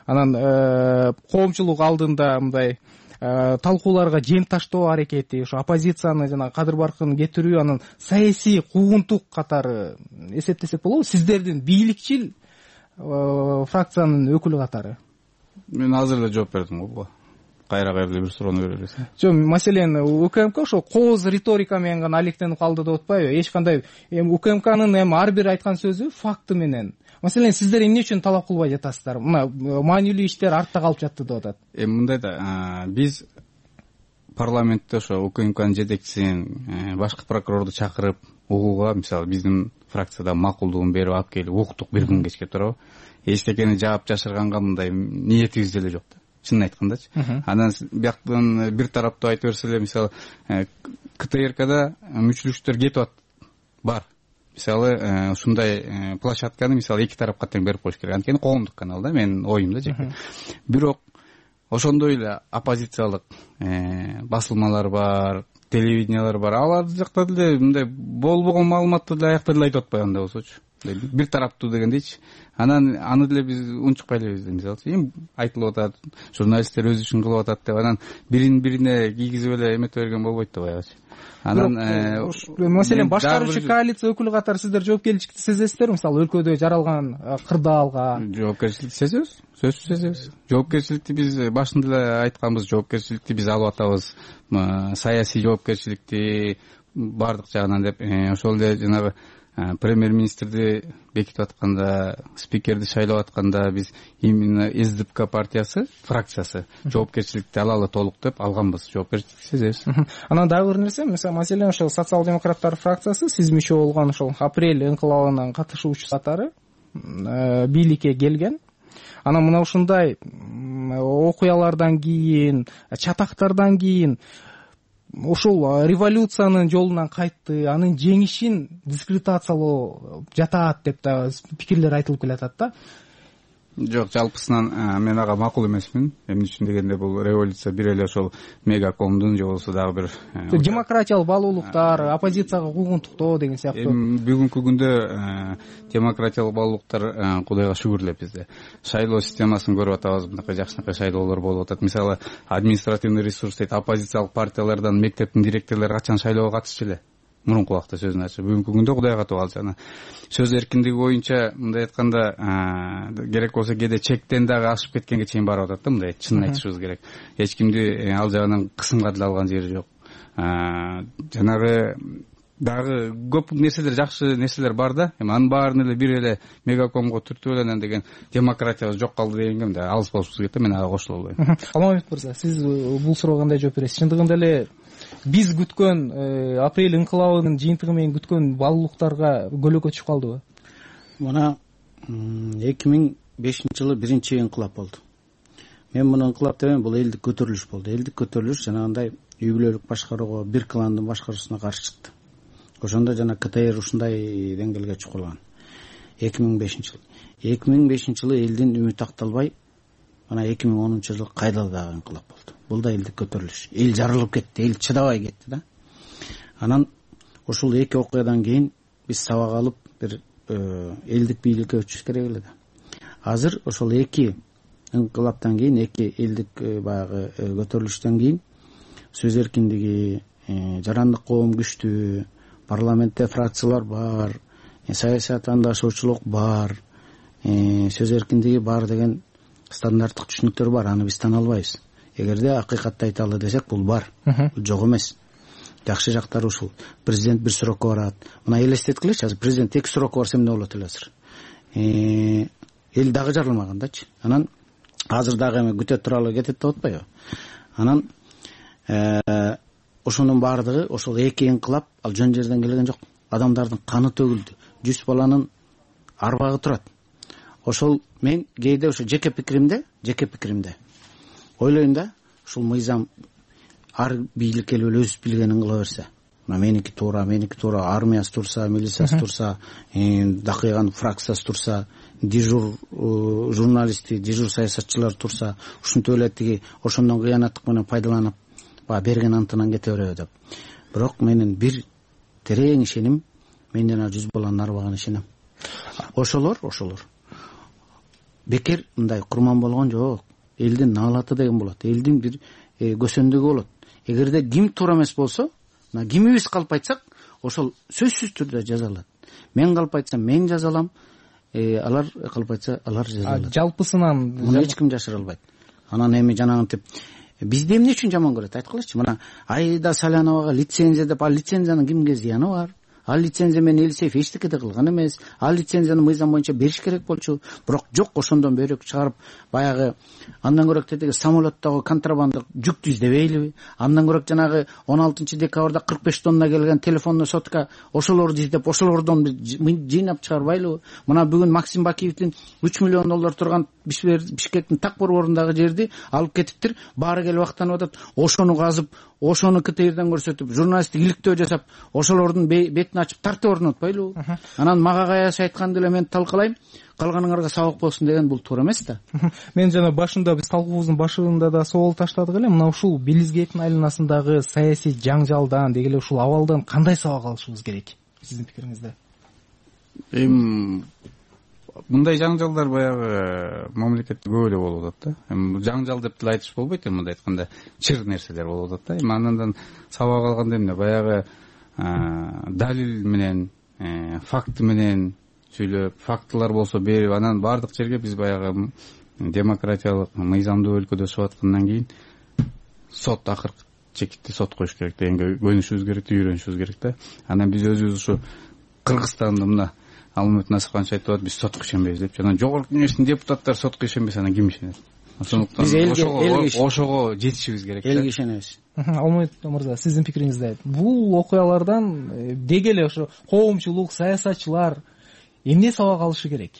анан коомчулук алдында мындай талкууларга жем таштоо аракети, ошо оппозицияны жана кадыр баркын кетирүү, анан саясий куугунтук катары эсептесек болобу? Сиздердин бийликчил фракциянын өкүлү катары. Мен азыр эле жооп бердим го. Кайра бир суроону беребиз. Жок, маселен УКМК ошо кооз риторика менен гана алектенип калды деп атпайбы? Эч кандай УКМКнын ар бир айткан сөзү факты менен. Маселен, сиздер эмне үчүн талап кылбай жатасыздар? Мына маанилүү иштер артта калып жатты деп атат. Мындай да, биз парламентте ошо УКМКнын жетекчисин, башкы прокурорду чакырып, угууга, мисалы, биздин фракцияда макулдугун берип алып келип уктук бир күн кечке туурабы? Эчтекени жаап жашырганга мындай ниетибиз деле жок да. Чынын айткандачы. Анан бияктан бир тараптуу айтып берсе эле, мисалы, КТРКда мүчүлүштөр кетип атат. Бар. Мисалы, ушундай площадканы мисалы эки тарапка тең берип коюш керек. Анткени коомдук канал да, менин оюм да жеке. Бирок ошондой эле оппозициялык басылмалар бар, телевидениялар бар. Алар жакта деле мындай болбогон маалыматты деле аякта деле айтып атпайбы анда болсочу. Бир тараптуу дегендейчи. Анан аны деле биз унчукпай элебиз. Мисалы, эми айтылып атат, журналисттер өзү үчүн кылып атат деп, анан бирине кийгизип эле эмете берген болбойт да баягычы. Анан маселен башкаруучу коалиция өкүлү катары сиздер жоопкерчиликти сезесиздерби? Мисалы, өлкөдө жаралган кырдаалга жоопкерчиликти сезебиз. Сөзсүз сезебиз. Жоопкерчиликти биз башында эле айтканбыз, жоопкерчиликти биз алып атабыз. Саясий жоопкерчиликти бардык жагынан деп, ошол эле жанагы премьер-министрди бекитип атканда, спикерди шайлап атканда биз именно СДПК партиясы, фракциясы жоопкерчиликти алалы толук деп алганбыз. Жоопкерчиликти сезебиз. Анан дагы бир нерсе, маселен ошол социал-демократтар фракциясы сиз мүчө болгон ошол апрель инкылабынын катышуучусу катары бийликке келген. Анан мына ушундай окуялардан кийин, чатактардан кийин ушул революциянын жолунан кайтты, анын жеңишин дискредитациялоо жатат деп да пикирлер айтылып келатат да. Жок, жалпысынан мен ага макул эмесмин. Эмне үчүн дегенде бул революция бир эле ошол мегакомдун же болбосо дагы бир демократиялык баалуулуктар, оппозицияга куугунтуктоо деген сыяктуу. Бүгүнкү күндө демократиялык баалуулуктар Кудайга шүгүр эле бизде. Шайлоо системасын көрүп атабыз, мындай жакшынакай шайлоолор болуп атат. Мисалы, административный ресурс дейт, оппозициялык партиялардан мектептин директорлору качан шайлоого катышчу эле? Мурунку убакта сөзүн ачып, бүгүнкү күндө Кудайга катып алды. Сөз эркиндиги боюнча мындай айтканда, керек болсо кээде чектен дагы ашып кеткенге чейин барып атат да, мындай чынын айтышыбыз керек. Эч кимди ал жагынан кысымга деле алган жери жок. Жанагы дагы көп нерселер, жакшы нерселер бар да. Эми анын баарын эле бир эле мегакомго түртүп эле анан деген демократиябыз жок калды дегенге мындай алыс болушубуз керек да, мен ага кошула албайм. Алмамбет мырза, сиз бул суроого кандай жооп бересиз? Чындыгында эле биз күткөн апрель инкылабынын жыйынтыгы менен күткөн баалуулуктарга көлөкө түшүп калдыбы? Мына 2005-жылы биринчи инкылап болду. Мен муну инкылап дебейм, бул элдик көтөрүлүш болду. Элдик көтөрүлүш жанагындай үй бүлөлүк башкарууга, бир кландын башкаруусуна каршы чыкты. Ошондо жана КТР ушундай деңгээлге чыгып калган. 2005-жылы. 2005-жылы элдин үмүтү акталбай, мына 2010-жылы кайда дагы инкылап болду. Бул да элдик көтөрүлүш. Эл жарылып кетти, эл чыдабай кетти да. Анан ушул эки окуядан кийин биз сабак алып бир элдик бийликке өтүш керек эле да. Азыр ошол эки инкылаптан кийин, эки элдик баягы көтөрүлүштөн кийин сөз эркиндиги, жарандык коом күчтүү, парламентте фракциялар бар, саясий аттаандашуучулук бар, сөз эркиндиги бар деген стандарттык түшүнүктөр бар. Аны биз тана албайбыз. Эгерде акыйкатты айталы десек, бул бар, бул жок эмес. Жакшы жактары ушул. Президент бир сурокко барат. Мына элестеткилечи, азыр президент эки сурокко барса эмне болот эле азыр? Эл дагы жарылмаган дачы. Анан азыр дагы эме күтө туралы кетет деп атпайбы? Анан ошонун баардыгы ошол эки инкылап ал жөн жерден келген жок. Адамдардын каны төгүлдү. 100 баланын арбагы турат. Ошол мен кээде ошо жеке пикиримде ойлойм да, ушул мыйзам ар бийлик келип эле өзү билгенин кыла берсе. Мына меники туура, армиясы турса, милициясы турса, дакыйган фракциясы турса, дежур журналисти, дежур саясатчылар турса, ушинтип эле тиги ошондон кыянаттык менен пайдаланып, берген антынан кете береби деп. Бирок менин бир терең ишеним, мен жана 100 баланын арбагына ишенем. Ошолор бекер мындай курман болгон жок. Элдин наалаты деген болот. Элдин бир көсөндүгү болот. Эгерде ким туура эмес болсо, мына кимибиз калп айтсак, ошол сөзсүз түрдө жазалат. Мен калп айтсам мен жазалам, алар калп айтса алар жазалат. Жалпысынан муну эч ким жашыра албайт. Анан эми жанагынтип бизди эмне үчүн жаман көрөт айткылачы? Мына Айда Саляновага лицензия деп, ал лицензиянын кимге зыяны бар? Ал лицензия менен Элисеев эчтеке да кылган эмес. Ал лицензияны мыйзам боюнча бериш керек болчу. Бирок жок, ошондон бөйрөк чыгарып, баягы андан көрөк тетиги самолеттогу контрабандалык жүктү издебейлиби? Андан көрөк жанагы 16 декабрда 45 тонна келген телефонный сотка ошолорду издеп, ошолордон жыйнап чыгарбайлыбы? Мына бүгүн Максим Бакиевдин 3 миллион доллар турган Бишкектин так борборундагы жерди алып кетиптир. Баары келип актанып атат. Ошону казып, ошону КТРден көрсөтүп, журналисттик иликтөө жасап, ошолордун бетин ачып тартып орнотпойлубу? Анан мага каясы айтканды эле мен талкалайм, калганыңарга сабак болсун деген бул туура эмес да. Мен жана башында биз талкуубуздун башында да суал таштадык эле. Мына ушул Белизгейттин айланасындагы саясий жаңжалдан, деги эле ушул абалдан кандай сабак алышыбыз керек? Сиздин пикириңизде? Мындай жаңжалдар баягы мамлекетте көп эле болуп атат да. Жаңжал деп деле айтыш болбойт, мындай айтканда чыр нерселер болуп атат да. Андан сабак алганда эмне? Баягы далил менен, факт менен сүйлөп, фактылар болсо берип, анан бардык жерге биз баягы демократиялык, мыйзамдуу өлкөдө өсүп аткандан кийин сот акыркы чекитти сот коюш керек дегенге көнүшүбүз керек, үйрөнүшүбүз керек да. Анан биз өзүбүз ушу Кыргызстанда мына Алмамет Насыпканович айтып атат, биз сотко ишенбейбиз деп. Жана Жогорку Кеңештин депутаттары сотко ишенбесе, анан ким ишенет? Ошондуктан ошого жетишибиз керек да. Элге ишенебиз. Алмамет мырза, сиздин пикириңизде бул окуялардан деги эле ошо коомчулук, саясатчылар эмне сабак алышы керек?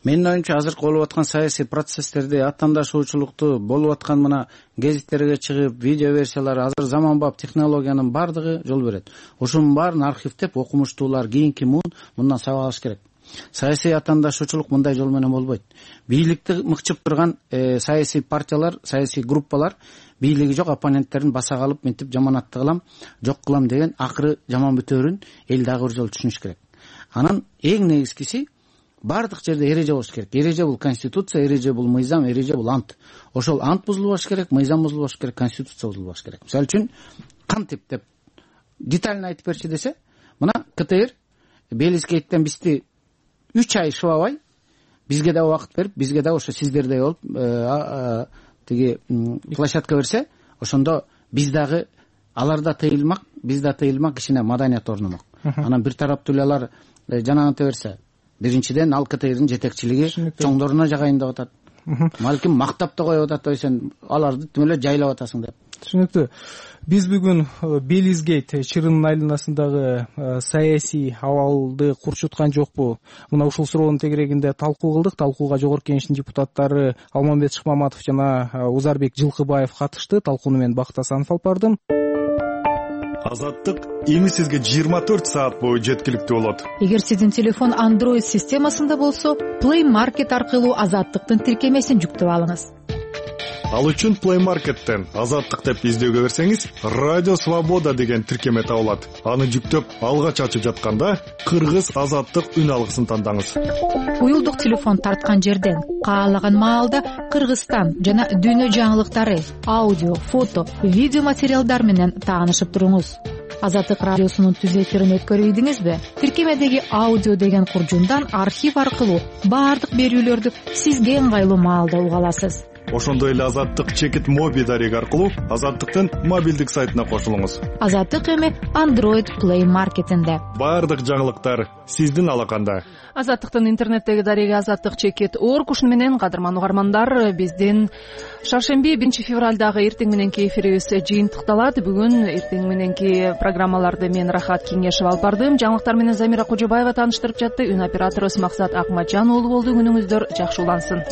Менин оюмча азыркы болуп аткан саясий процесстерди, аттандашуучулукту, болуп аткан мына гезиттерге чыгып, видео версиялар, азыр заманбап технологиянын бардыгы жол берет. Ошонун баарын архивдеп, окумуштуулар, кийинки мындан сабак алыш керек. Саясий аттандашуучулук мындай жол менен болбойт. Бийликти мыкчып турган саясий партиялар, саясий группалар бийлиги жок оппоненттерин баса калып, мынтип жаманатты кылам, жок кылам деген акыры жаман бүтөөрүн эл дагы бир жолу түшүнүш керек. Анан эң негизгиси бардык жерде эреже болуш керек. Эреже бул конституция, эреже бул мыйзам, эреже бул ант. Ошол ант бузулбаш керек, мыйзам бузулбаш керек, конституция бузулбаш керек. Мисалы үчүн кантип деп детально айтып берчи десе, мына КТР Белизгейттен бизди 3 ай шыбабай, бизге да убакыт берип, бизге да ошо сиздердей болуп тиги площадка берсе, ошондо биз дагы аларда тыйылмак, биз да тыйылмак, кичине маданият орномок. Анан бир тараптуу эле алар жанагынтип берсе, биринчиден ал КТРдин жетекчилиги чоңдоруна жагайын деп атат. Балким мактап да коюп атат, сен аларды тим эле жайлап атасың деп. Түшүнүктүү. Биз бүгүн Белизгейт чырынын айланасындагы саясий абалды курчуткан жокпу? Мына ушул суроонун тегерегинде талкуу кылдык. Талкууга Жогорку Кеңештин депутаттары Алмамбет Шыкмаматов жана Узарбек Жылкыбаев катышты. Талкууну мен Бакыт Асанов алып бардым. Азаттык эми сизге 24 саат бою жеткиликтүү болот. Эгер сиздин телефон Android системасында болсо, Play Market аркылуу Азаттыктын тиркемесин жүктөп алыңыз. Ал үчүн Play Market'тен Азаттык деп издөөгө берсеңиз, Радио Свобода деген тиркеме табылат. Аны жүктөп, алгач ачып жатканда кыргыз Азаттык үн алгысын тандаңыз. Уюлдук телефон тарткан жерден каалаган маалда Кыргызстан жана дүйнө жаңылыктары, аудио, фото, видео материалдар менен таанышып туруңуз. Азаттык радиосунун түз эфирин өткөрүп ийдиңизби? Тиркемедеги аудио деген куржундан архив аркылуу баардык берүүлөрдү сизге ыңгайлуу маалда уга аласыз. Ошондой эле Азаттык чекит моби дареги аркылуу Азаттыктын мобилдик сайтына кошулуңуз. Азаттык эми Android Play Market'инде. Баардык жаңылыктар сиздин алаканда. Азаттыктын интернеттеги дареги Азаттык чекит орг. Ушуну менен кадырман угармандар, биздин шаршемби 1 февралдагы эртең мененки эфирибиз жыйынтыкталат. Бүгүн эртең мененки программаларды мен Рахат Кеңешев алып бардым. Жаңылыктар менен Замира Кожобаева тааныштырып жатты. Үн операторубуз Максат Акматжан уулу болду. Күнүңүздөр жакшы улансын.